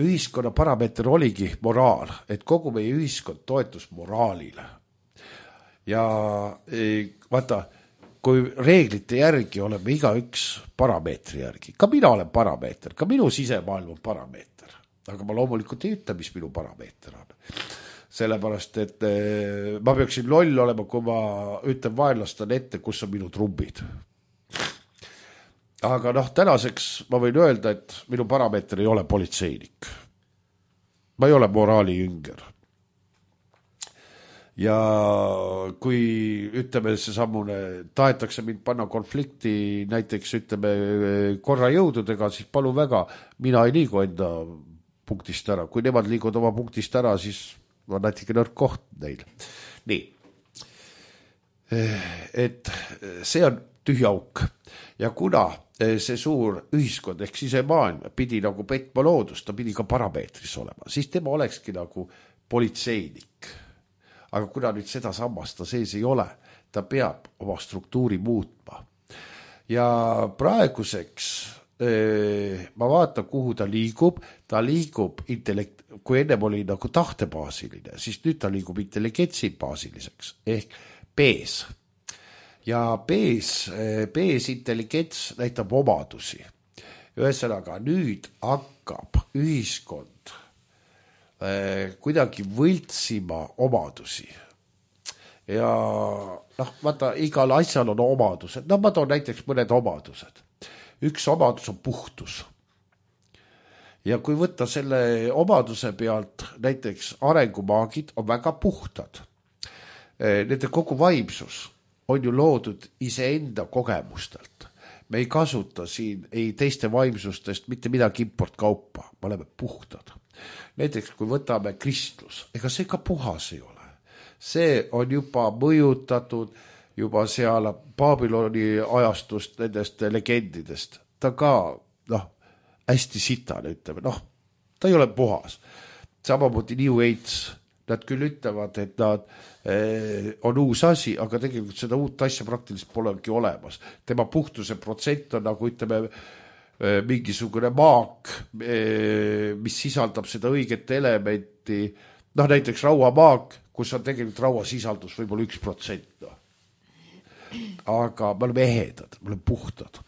B: ühiskonna parameeter oligi moraal, et kogu meie ühiskond toetus moraalile. Ja vaata, kui reeglite järgi oleme iga üks parameetri järgi, ka mina olen parameeter, ka minu sisemaailm on parameeter, aga ma loomulikult ei ütle, mis minu parameeter on. Sellepärast, et ma peaksin loll olema, kui ma ütlen vaenlastan ette, kus on minu trumbid. Aga noh, tänaseks ma võin öelda, et minu parameeter ei ole politseinik. Ma ei ole moraali jünger. Ja kui ütleme see sammune, tahetakse mind panna konflikti näiteks ütleme korra jõududega, siis palun väga, mina ei liigu enda punktist ära. Kui nemad liigud oma punktist ära, siis on natuke nõrk koht neil. Nii. Et see on tühi auk. Ja kuna see suur ühiskond ehk sisemaailm pidi nagu petma loodust, ta pidi ka parameetris olema, siis tema olekski nagu politseinik. Aga kuna nüüd seda sammast ta sees ei ole, ta peab oma struktuuri muutma. Ja praeguseks ma vaatan, kuhu ta liigub, ta liigub intellekt, kui ennem oli nagu tahtebaasiline, siis nüüd ta liigub intelligentsi baasiliseks, ehk B-s. Ja B-s, B-s intelligents näitab omadusi. Ühesõnaga, nüüd hakkab ühiskond kuidagi võltsima omadusi. Ja noh, vaata, igal asjal on omadused. No ma toon näiteks mõned omadused. Üks omadus on puhtus. Ja kui võtta selle omaduse pealt, näiteks arengumaagid on väga puhtad. Nende kogu vaimsus on ju loodud iseenda kogemustelt. Me ei kasuta siin ei teiste vaimsustest mitte midagi importkaupa. Me oleme puhtad. Näiteks kui võtame kristlus, ega see ka puhas ei ole. See on juba mõjutatud juba seal Babyloni ajastust nendest legendidest. Ta ka, noh, hästi sitane ütleme, noh, ta ei ole puhas. Samamoodi New Age, nad küll ütlevad, et nad eh, on uus asi, aga tegelikult seda uut asja praktiliselt polegi olemas. Tema puhtuse protsent on nagu ütleme mingisugune maak, mis sisaldab seda õiget elementi, noh näiteks rauamaak, kus on tegelikult rauasisaldus võib-olla üks protsent. No. Aga me oleme ehedad, me oleme puhtad.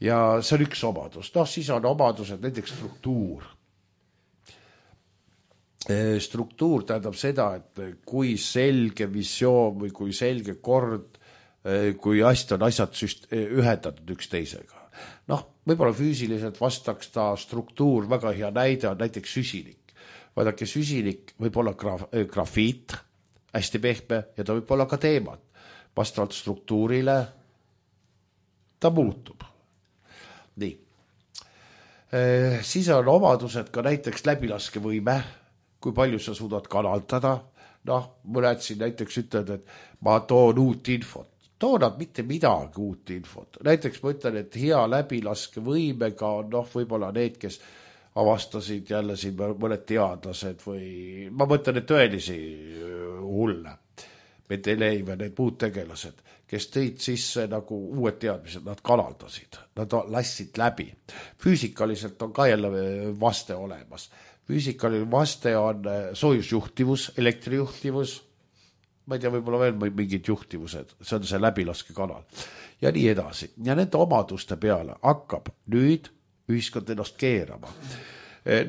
B: Ja see on üks omadus. Noh, siis on omadused, näiteks struktuur. Struktuur tähendab seda, et kui selge visioon või kui selge kord, kui hästi on asjad süst- ühendatud üks teisega. Noh, võib-olla füüsiliselt vastaks ta struktuur, väga hea näide on näiteks süsinik. Vaadake, süsinik võib olla graf, grafiit, hästi pehme, ja ta võib olla ka teemad. Vastavalt struktuurile ta muutub. Nii. E, siis on omadused ka näiteks läbilaskevõime, kui palju sa suudad kanaldada. Noh, mõned siin näiteks ütled, et ma toon uut infot. Toonad mitte midagi uut infot. Näiteks ma ütlen, et hea läbilaske võimega on noh, võib-olla need, kes avastasid jälle siin mõned teadlased või ma mõtlen, et tõelisi hulle, Mendeljeev, need muud tegelased, kes tõid sisse nagu uued teadmised, nad kanaldasid, nad lassid läbi. Füüsikaliselt on ka jälle vaste olemas. Füüsikaline vaste on soojusjuhtivus, elektrijuhtivus, ma ei tea, võib-olla veel mingid juhtivused, see on see läbilaske kanal ja nii edasi. Ja nende omaduste peale hakkab nüüd ühiskond ennast keerama.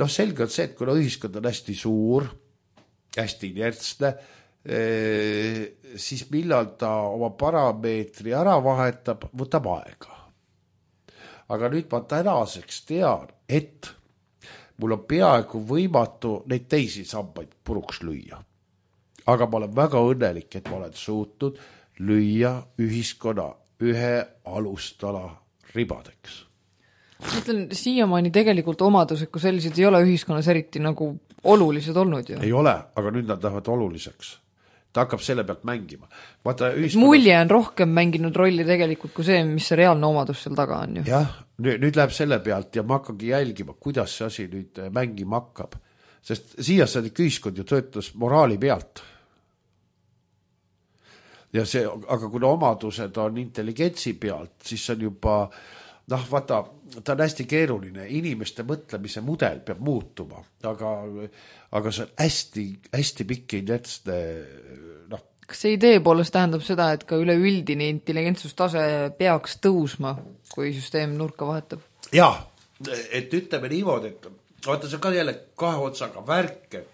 B: Noh, selge on see, et kuna ühiskond on hästi suur, hästi inertsne, siis millal ta oma parameetri ära vahetab, võtab aega. Aga nüüd ma tänaseks tean, et mul on peaaegu võimatu neid teisi sambaid puruks lüüa. Aga ma olen väga õnnelik, et ma olen suutnud lüüa ühiskonna ühe alustala ribadeks.
C: Ma ütlen, siiamaani tegelikult omadused, kui sellised ei ole ühiskonnas eriti nagu olulised olnud ju.
B: Ei ole, aga nüüd nad lähevad oluliseks. Ta hakkab selle pealt mängima. Vaata, ühiskonnas...
C: Mulje on rohkem mänginud rolli tegelikult kui see, mis see reaalne omadus seal taga on ju.
B: Jah, nüüd, nüüd läheb selle pealt ja ma hakkagi jälgima, kuidas see asi nüüd mängima hakkab. Sest siia saadik ühiskond ju töötas moraali pealt. Ja see, aga kuna omadused on intelligentsi pealt, siis on juba, noh, vaata, ta on hästi keeruline, inimeste mõtlemise mudel peab muutuma, aga, aga see on hästi, hästi pikki inertsne, noh.
C: Kas see idee poolest tähendab seda, et ka üleüldine intelligentsustase peaks tõusma, kui süsteem nurka vahetab?
B: Jaa, et ütleme niimoodi, et vaata, see on ka jälle kahe otsaga värk, et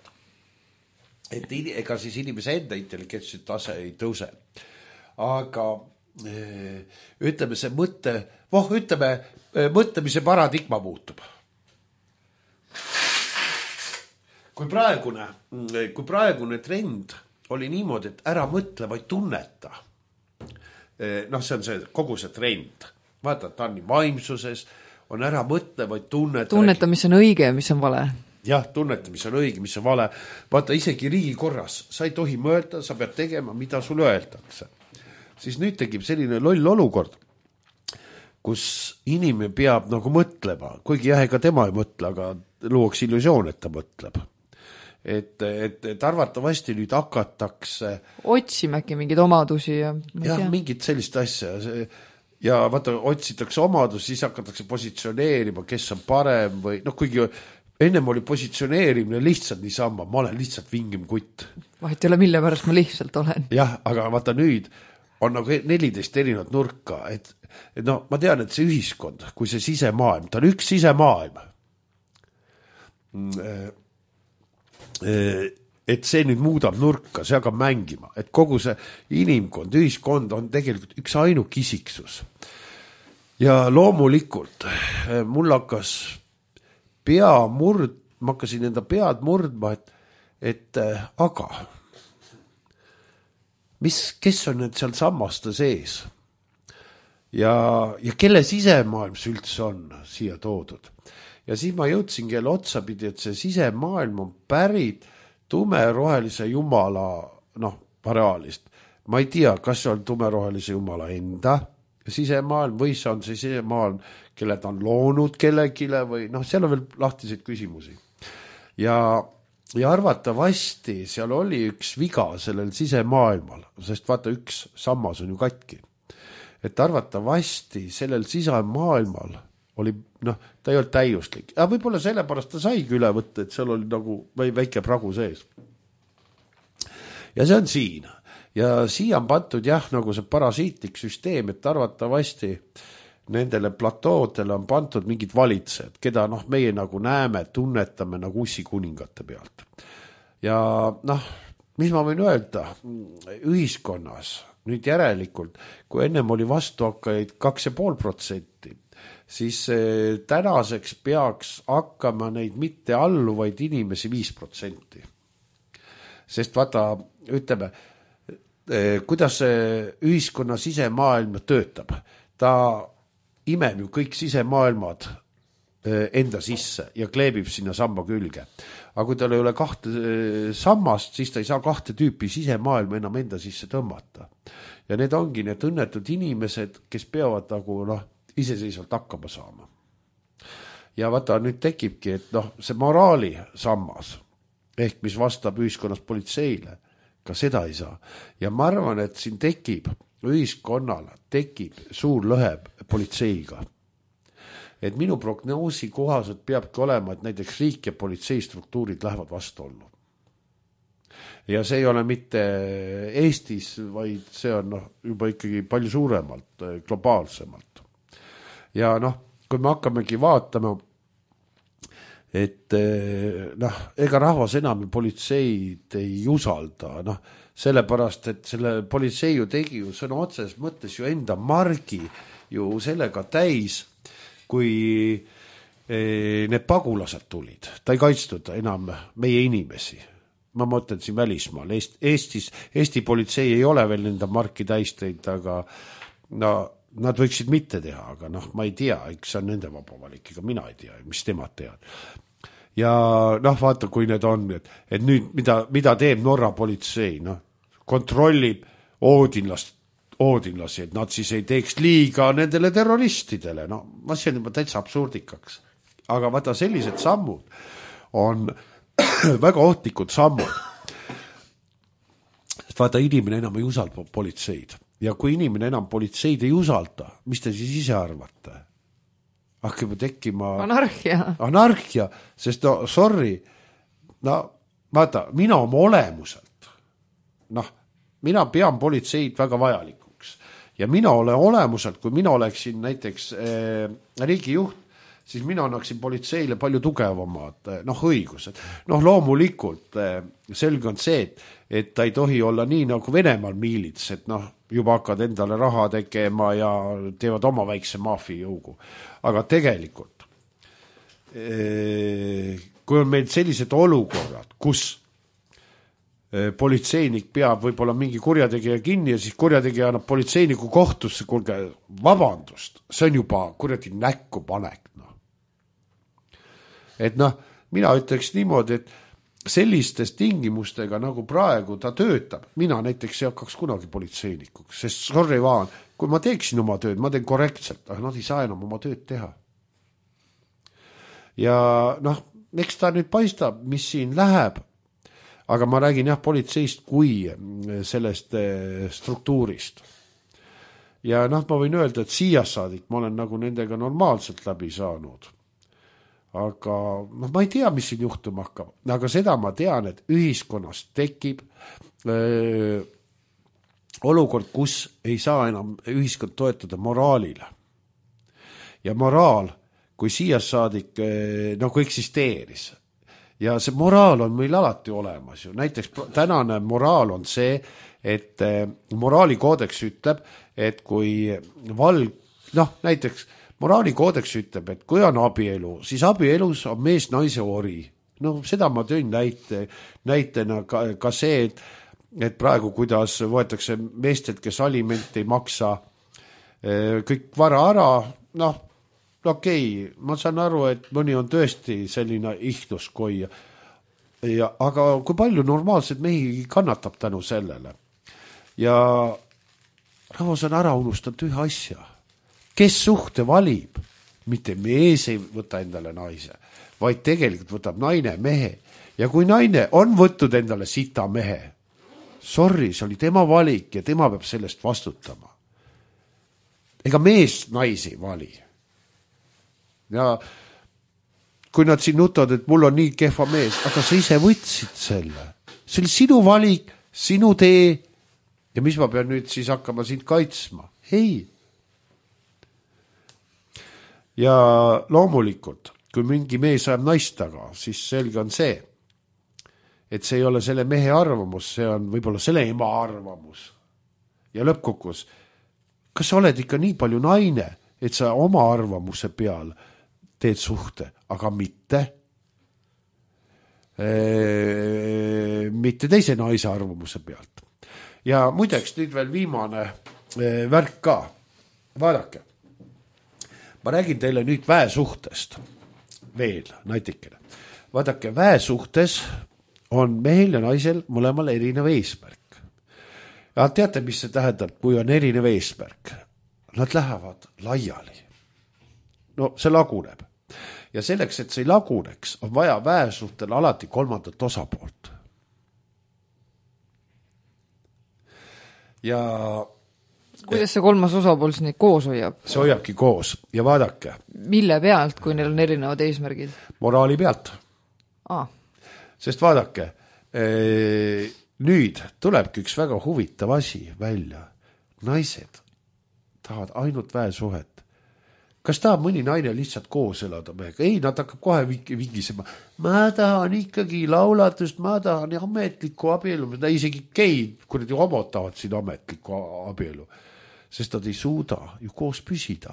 B: et ega siis inimese enda intelligentsi tase ei tõuse. Aga ütleme see mõtte, voh, ütleme, mõtlemise paradigma muutub. Kui praegune, kui praegune trend oli niimoodi, et ära mõtle, vaid tunneta. Noh, see on see, kogu see trend. Vaata, ta on nii vaimsuses, on ära mõtle, vaid tunneta.
C: Tunneta, mis on õige ja mis on vale.
B: Jah, tunneta, mis on õige, mis on vale. Vaata, isegi riigikorras, sa ei tohi mõelda, sa pead tegema, mida sulle öeldakse. Siis nüüd tegib selline loll olukord, kus inimene peab nagu mõtlema, kuigi jah, ega tema ei mõtle, aga luuaks illusioon, et ta mõtleb. Et, et, et arvatavasti nüüd hakatakse...
C: Otsimäki mingeid omadusi ja...
B: Jah, mingid sellist asja. Ja vaata, otsitakse omadus, siis hakatakse positsioneerima, kes on parem või... No kuigi ennem oli positsioneerimine lihtsalt niisama, ma olen lihtsalt vingim kutt.
C: Vahet ei ole, mille pärast ma lihtsalt olen.
B: Jah, aga vaata nüüd on nagu neliteist erinevat nurka, et, et no, ma tean, et see ühiskond, kui see sisemaailm, ta on üks sisemaailm, et see nüüd muudab nurka, see hakkab mängima, et kogu see inimkond, ühiskond on tegelikult üks ainuk isiksus. Ja loomulikult mul hakkas pea murd, ma hakkasin enda pead murdma, et, et aga mis, kes on need seal sammaste sees ja, ja kelle sisemaailm see üldse on siia toodud. Ja siis ma jõudsin kelle otsapidi, et see sisemaailm on pärit tumerohelise jumala, noh, pareaalist. Ma ei tea, kas see on tumerohelise jumala enda sisemaailm või see on see sisemaailm, kelle ta on loonud kellegile või noh, seal on veel lahtiseid küsimusi. Ja, ja arvatavasti seal oli üks viga sellel sisemaailmal, sest vaata, üks sammas on ju katki. Et arvatavasti sellel sisemaailmal oli, noh, ta ei olnud täiuslik. Ja võib-olla sellepärast ta saigi üle võtta, et seal oli nagu väike pragu sees. Ja see on siin. Ja siia on pantud jah, nagu see parasiitlik süsteem, et arvatavasti nendele platoodele on pantud mingid valitsejad, keda noh, meie nagu näeme, tunnetame nagu ussikuningate pealt. Ja noh, mis ma võin öelda, ühiskonnas nüüd järelikult, kui ennem oli vastuhakkajaid kaks ja pool protsenti, siis tänaseks peaks hakkama neid mitte alluvaid inimesi viis protsenti. Sest vaata, ütleme, kuidas ühiskonna sisemaailm töötab. Ta imeb ju kõik sisemaailmad enda sisse ja kleebib sinna samba külge. Aga kui tal ei ole kahte sammast, siis ta ei saa kahte tüüpi sisemaailma enam enda sisse tõmmata. Ja need ongi need õnnetud inimesed, kes peavad nagu noh, iseseisvalt hakkama saama. Ja vaata, nüüd tekibki, et noh, see moraali sammas, ehk mis vastab ühiskonnas politseile, ka seda ei saa. Ja ma arvan, et siin tekib, ühiskonnal tekib suur lõhe politseiga. Et minu prognoosi kohaselt peabki olema, et näiteks riik ja politsei struktuurid lähevad vastuollu. Ja see ei ole mitte Eestis, vaid see on noh, juba ikkagi palju suuremalt, globaalsemalt. Ja noh, kui me hakkamegi vaatama, et noh, ega rahvas enam politseid ei usalda, noh, sellepärast, et selle politsei ju tegi ju sõna otses mõttes ju enda margi ju sellega täis, kui need pagulased tulid. Ta ei kaitstud enam meie inimesi. Ma mõtlen siin välismaal. Eestis, Eesti politsei ei ole veel enda marki täis teinud, aga no, nad võiksid mitte teha, aga noh, ma ei tea, eks see on nende vaba valik, ega mina ei tea, mis temad teavad. Ja noh, vaata, kui need on, et, et nüüd mida, mida teeb Norra politsei, noh, kontrollib oodinlast, oodinlasi, et nad siis ei teeks liiga nendele terroristidele, no ma see on juba täitsa absurdikaks. Aga vaata, sellised sammud on väga ohtlikud sammud. Vaata, inimene enam ei usalda politseid. Ja kui inimene enam politseid ei usalda, mis te siis ise arvate? Hakkab tekkima
C: anarhia.
B: Anarhia, sest no, sorry, no vaata, mina oma olemuselt, noh, mina pean politseid väga vajalikuks. Ja mina olen olemuselt, kui mina oleksin näiteks eh, riigijuht, siis mina annaksin politseile palju tugevamad noh, õigused. Noh, loomulikult selge on see, et, et ta ei tohi olla nii nagu Venemaal miilits, et noh, juba hakkad endale raha tegema ja teevad oma väikse maafijõugu. Aga tegelikult, kui on meil sellised olukorrad, kus politseinik peab võib-olla mingi kurjategija kinni ja siis kurjategija annab politseiniku kohtusse, kuulge, vabandust, see on juba kurjadi näkku panek. No. Et noh, mina ütleks niimoodi, et sellistes tingimustega nagu praegu ta töötab, mina näiteks ei hakkaks kunagi politseinikuks, sest sorry vaan, kui ma teeksin oma tööd, ma teen korrektselt, aga nad ei saa enam oma tööd teha. Ja noh, eks ta nüüd paistab, mis siin läheb, aga ma räägin jah politseist kui sellest struktuurist. Ja noh, ma võin öelda, et siia saadik ma olen nagu nendega normaalselt läbi saanud. Aga noh, ma ei tea, mis siin juhtuma hakkab, aga seda ma tean, et ühiskonnas tekib öö, olukord, kus ei saa enam ühiskond toetada moraalile. Ja moraal, kui siia saadik öö, nagu eksisteeris, ja see moraal on meil alati olemas ju. Näiteks tänane moraal on see, et moraalikoodeks ütleb, et kui valg, noh näiteks moraalikoodeks ütleb, et kui on abielu, siis abielus on mees naise ori. No seda ma tõin näite, näitena ka, ka see, et, et praegu kuidas võetakse meestelt, kes aliment ei maksa kõik vara ära, noh, okei, okay, ma saan aru, et mõni on tõesti selline ihtuskoi, ja, aga kui palju normaalselt mehi kannatab tänu sellele. Ja rahvas on ära unustanud ühe asja. Kes suhte valib, mitte mees ei võta endale naise, vaid tegelikult võtab naine mehe. Ja kui naine on võtnud endale sita mehe, sorry, see oli tema valik ja tema peab sellest vastutama. Ega mees naisi vali. Ja kui nad siin nutavad, et mul on nii kehva mees, aga sa ise võtsid selle. See oli sinu valik, sinu tee ja mis ma pean nüüd siis hakkama sind kaitsma? Ei. Ja loomulikult, kui mingi mees ajab naist taga, siis selge on see, et see ei ole selle mehe arvamus, see on võib-olla selle ema arvamus. Ja lõppkokkuvõttes, kas sa oled ikka nii palju naine, et sa oma arvamuse peal teed suhte, aga mitte ee, mitte teise naise arvamuse pealt. Ja muideks nüüd veel viimane ee, värk ka. Vaadake. Ma räägin teile nüüd väesuhtest veel naitikene. Vaadake, väesuhtes on mehel ja naisel mõlemal erinev eesmärk. Ja teate, mis see tähendab, kui on erinev eesmärk? Nad lähevad laiali. No see laguneb. Ja selleks, et see laguneks, on vaja väesuhtel alati kolmandat osapoolt. Ja
C: kuidas see kolmas osapool siis neid koos hoiab?
B: See hoiabki koos ja vaadake.
C: Mille pealt, kui neil on erinevad eesmärgid?
B: Moraali pealt.
C: Ah.
B: Sest vaadake, ee, nüüd tulebki üks väga huvitav asi välja. Naised tahavad ainult väesuhet. Kas tahab mõni naine lihtsalt koos elada mehega? Ei, nad hakkab kohe vigisema. Ma tahan ikkagi laulatust, ma tahan ametlikku abielu. Isegi geid, kui nad ju omotavad siin ametlikku abielu. Sest nad ei suuda ju koos püsida.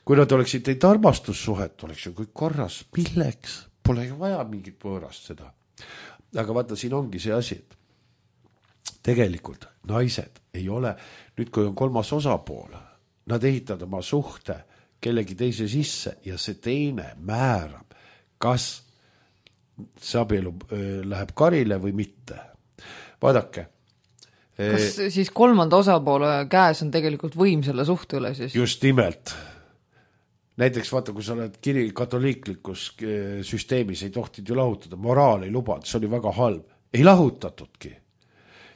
B: Kui nad oleksid teid armastussuhet, oleks ju kõik korras. Milleks? Pole ju vaja mingit võõrast seda. Aga vaata, siin ongi see asi, et tegelikult naised ei ole, nüüd kui on kolmas osapool, nad ehitavad oma suhte kellegi teise sisse ja see teine määrab, kas see abielu läheb karile või mitte. Vaadake.
C: Kas siis kolmanda osapoole käes on tegelikult võim selle suhte üle siis?
B: Just nimelt. Näiteks vaata, kui sa oled kiri katoliiklikus süsteemis, ei tohtid ju lahutada, moraal ei lubad, see oli väga halb. Ei lahutatudki.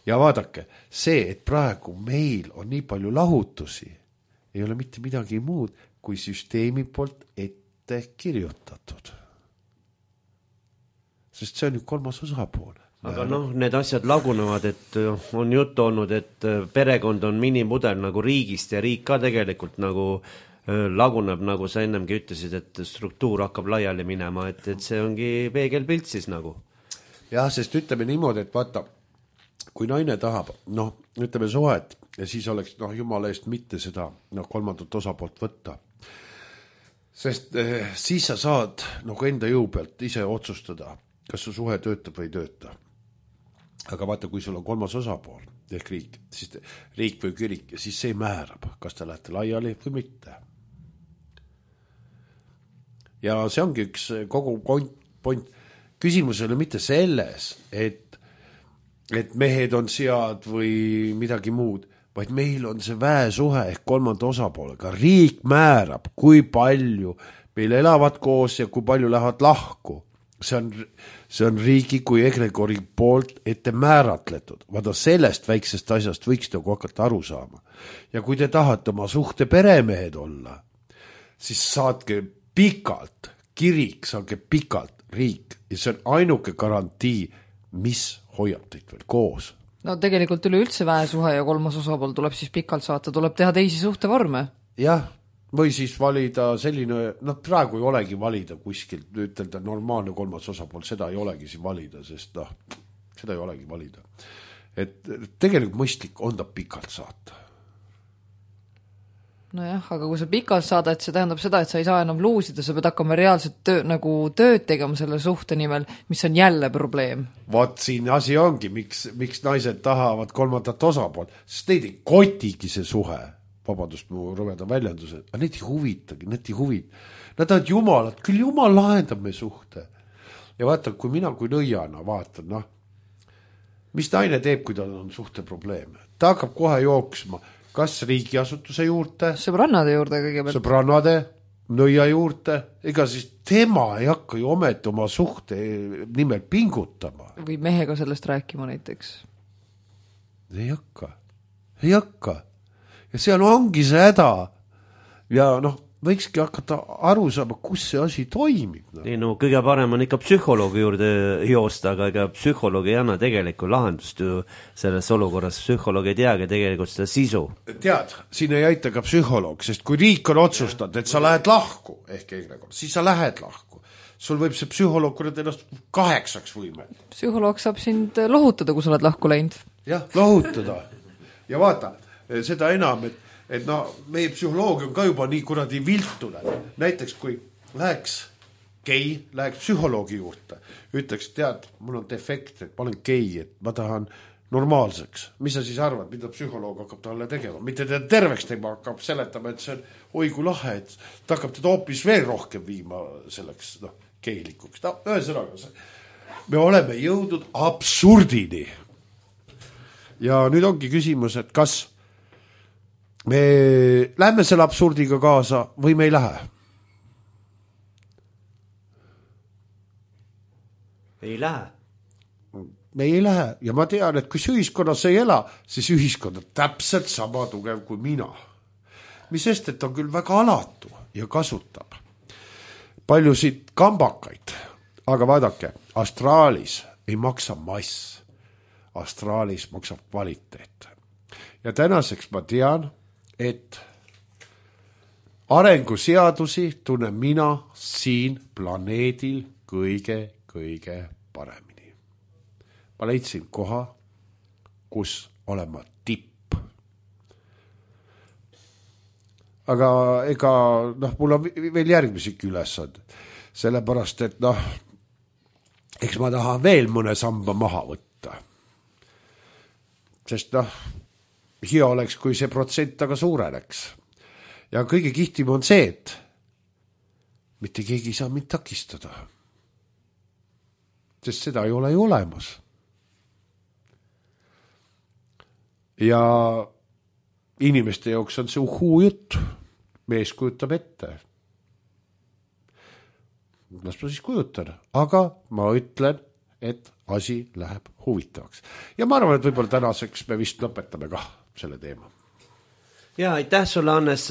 B: Ja vaadake, see, et praegu meil on nii palju lahutusi, ei ole mitte midagi muud, kui süsteemi poolt ette kirjutatud. Sest see on ju kolmas osapool.
A: Aga noh, need asjad lagunevad, et on juttu olnud, et perekond on minimudel nagu riigist ja riik ka tegelikult nagu laguneb, nagu sa ennemgi ütlesid, et struktuur hakkab laiali minema, et, et see ongi peegelpilt siis nagu.
B: Jah, sest ütleme niimoodi, et vaata, kui naine tahab, noh, ütleme suhet, ja siis oleks, noh, jumala eest mitte seda noh, kolmandat osapoolt võtta. Sest eh, siis sa saad nagu enda jõu pealt ise otsustada, kas su suhe töötab või ei tööta. Aga vaata, kui sul on kolmas osapool, ehk riik, siis riik või kirik, siis see määrab, kas te lähete laiali või mitte. Ja see ongi üks kogu point. Küsimus ei ole mitte selles, et, et mehed on sead või midagi muud, vaid meil on see väesuhe ehk kolmanda osapoolega. Riik määrab, kui palju meil elavad koos ja kui palju lähevad lahku. See on, see on riigi kui egregori poolt ette määratletud. Vaata, sellest väiksest asjast võiks nagu hakata aru saama. Ja kui te tahate oma suhte peremehed olla, siis saatke pikalt, kirik saage pikalt riik. Ja see on ainuke garantii, mis hoiab teid veel koos.
C: No tegelikult üle üldse väesuhe ja kolmas osapool tuleb siis pikalt saata, tuleb teha teisi suhtevorme.
B: Jah, või siis valida selline, noh praegu ei olegi valida kuskil, ütelda normaalne kolmas osapool, seda ei olegi siin valida, sest noh, seda ei olegi valida. Et tegelikult mõistlik on ta pikalt saata.
C: Nojah, aga kui sa pikalt saadad, see tähendab seda, et sa ei saa enam luusida, sa pead hakkama reaalselt töö, nagu tööd tegema selle suhte nimel, mis on jälle probleem.
B: Vaat siin asi ongi, miks, miks naised tahavad kolmandat osapool, sest neid ei kotigi see suhe. Vabandust, mu rõveda väljenduse, aga need ei huvitagi, need ei huvita. Nad on jumalad, küll jumal lahendab me suhte. Ja vaata, kui mina kui nõiana vaatan, noh, mis naine teeb, kui tal on suhte probleem? Ta hakkab kohe jooksma, kas riigiasutuse juurde,
C: sõbrannade juurde kõigepealt,
B: sõbrannade, nõia juurde, ega siis tema ei hakka ju ometi oma suhte nimel pingutama.
C: Või mehega sellest rääkima näiteks.
B: Ei hakka, ei hakka. Ja seal ongi see häda. Ja noh, võikski hakata aru saama, kus see asi toimib. No.
A: Ei, no kõige parem on ikka psühholoogi juurde joosta, aga ega psühholoogi ei anna tegelikult lahendust ju selles olukorras. Psühholoog ei teagi tegelikult seda sisu.
B: Tead, siin ei aita ka psühholoog, sest kui riik on otsustanud, et sa lähed lahku, ehk egregor, siis sa lähed lahku. Sul võib see psühholoog kurat ennast kaheksaks võime.
C: Psühholoog saab sind lohutada, kui sa oled lahku läinud.
B: Jah, lohutada. Ja vaata, seda enam, et, et no, meie psühholoogia on ka juba nii kuradi viltune. Näiteks kui läheks gei, läheks psühholoogi juurde, ütleks, tead, mul on defekt, et ma olen gei, et ma tahan normaalseks. Mis sa siis arvad, mida psühholoog hakkab talle tegema? Mitte teda terveks tegema, hakkab seletama, et see on oigu lahe, et ta hakkab teda hoopis veel rohkem viima selleks no, geilikuks. No, ühesõnaga, me oleme jõudnud absurdini. Ja nüüd ongi küsimus, et kas me lähme selle absurdiga kaasa või me ei lähe?
A: Ei lähe.
B: Me ei lähe ja ma tean, et kui ühiskonnas ei ela, siis ühiskond on täpselt sama tugev kui mina. Mis sest, et on küll väga alatu ja kasutab paljusid kambakaid, aga vaadake, astraalis ei maksa mass, astraalis maksab kvaliteet. Ja tänaseks ma tean, et arenguseadusi tunnen mina siin planeedil kõige, kõige paremini. Ma leidsin koha, kus olen ma tipp. Aga ega, noh, mul on veel järgmisiki ülesand. Sellepärast, et noh, eks ma tahan veel mõne samba maha võtta. Sest noh, hea oleks, kui see protsent aga suureneks. ja kõige kihtim on see, et mitte keegi ei saa mind takistada. Sest seda ei ole ju olemas. Ja inimeste jaoks on see uhuu jutt. Mees kujutab ette. Las ma siis kujutan, aga ma ütlen, et asi läheb huvitavaks. Ja ma arvan, et võib-olla tänaseks me vist lõpetame ka selle teema.
A: Ja aitäh sulle, Hannes,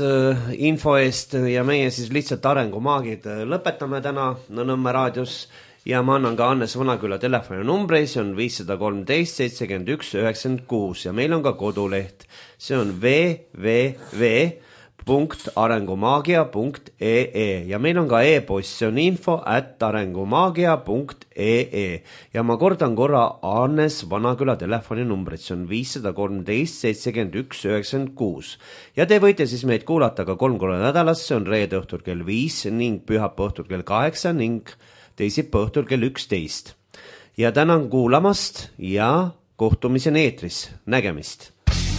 A: info eest ja meie siis lihtsalt arengumaagid lõpetame täna Nõmme raadios ja ma annan ka Hannes Vanaküla telefoni numbri, see on viis kolm kolm seitsekümmend üks üheksakümmend kuus ja meil on ka koduleht, see on double-u double-u double-u punkt arengumaagia punkt e e ja meil on ka e-post, see on info at arengumaagia punkt e e ja ma kordan korra Hannes Vanaküla telefoni numbrit, see on viis kolm kolm seitsekümmend üks üheksakümmend kuus ja te võite siis meid kuulata ka kolm korda nädalas, see on reede õhtul kell viis ning pühapäeva õhtul kell kaheksa ning teisipäeva õhtul kell üksteist ja tänan kuulamast ja kohtumiseni eetris, nägemist!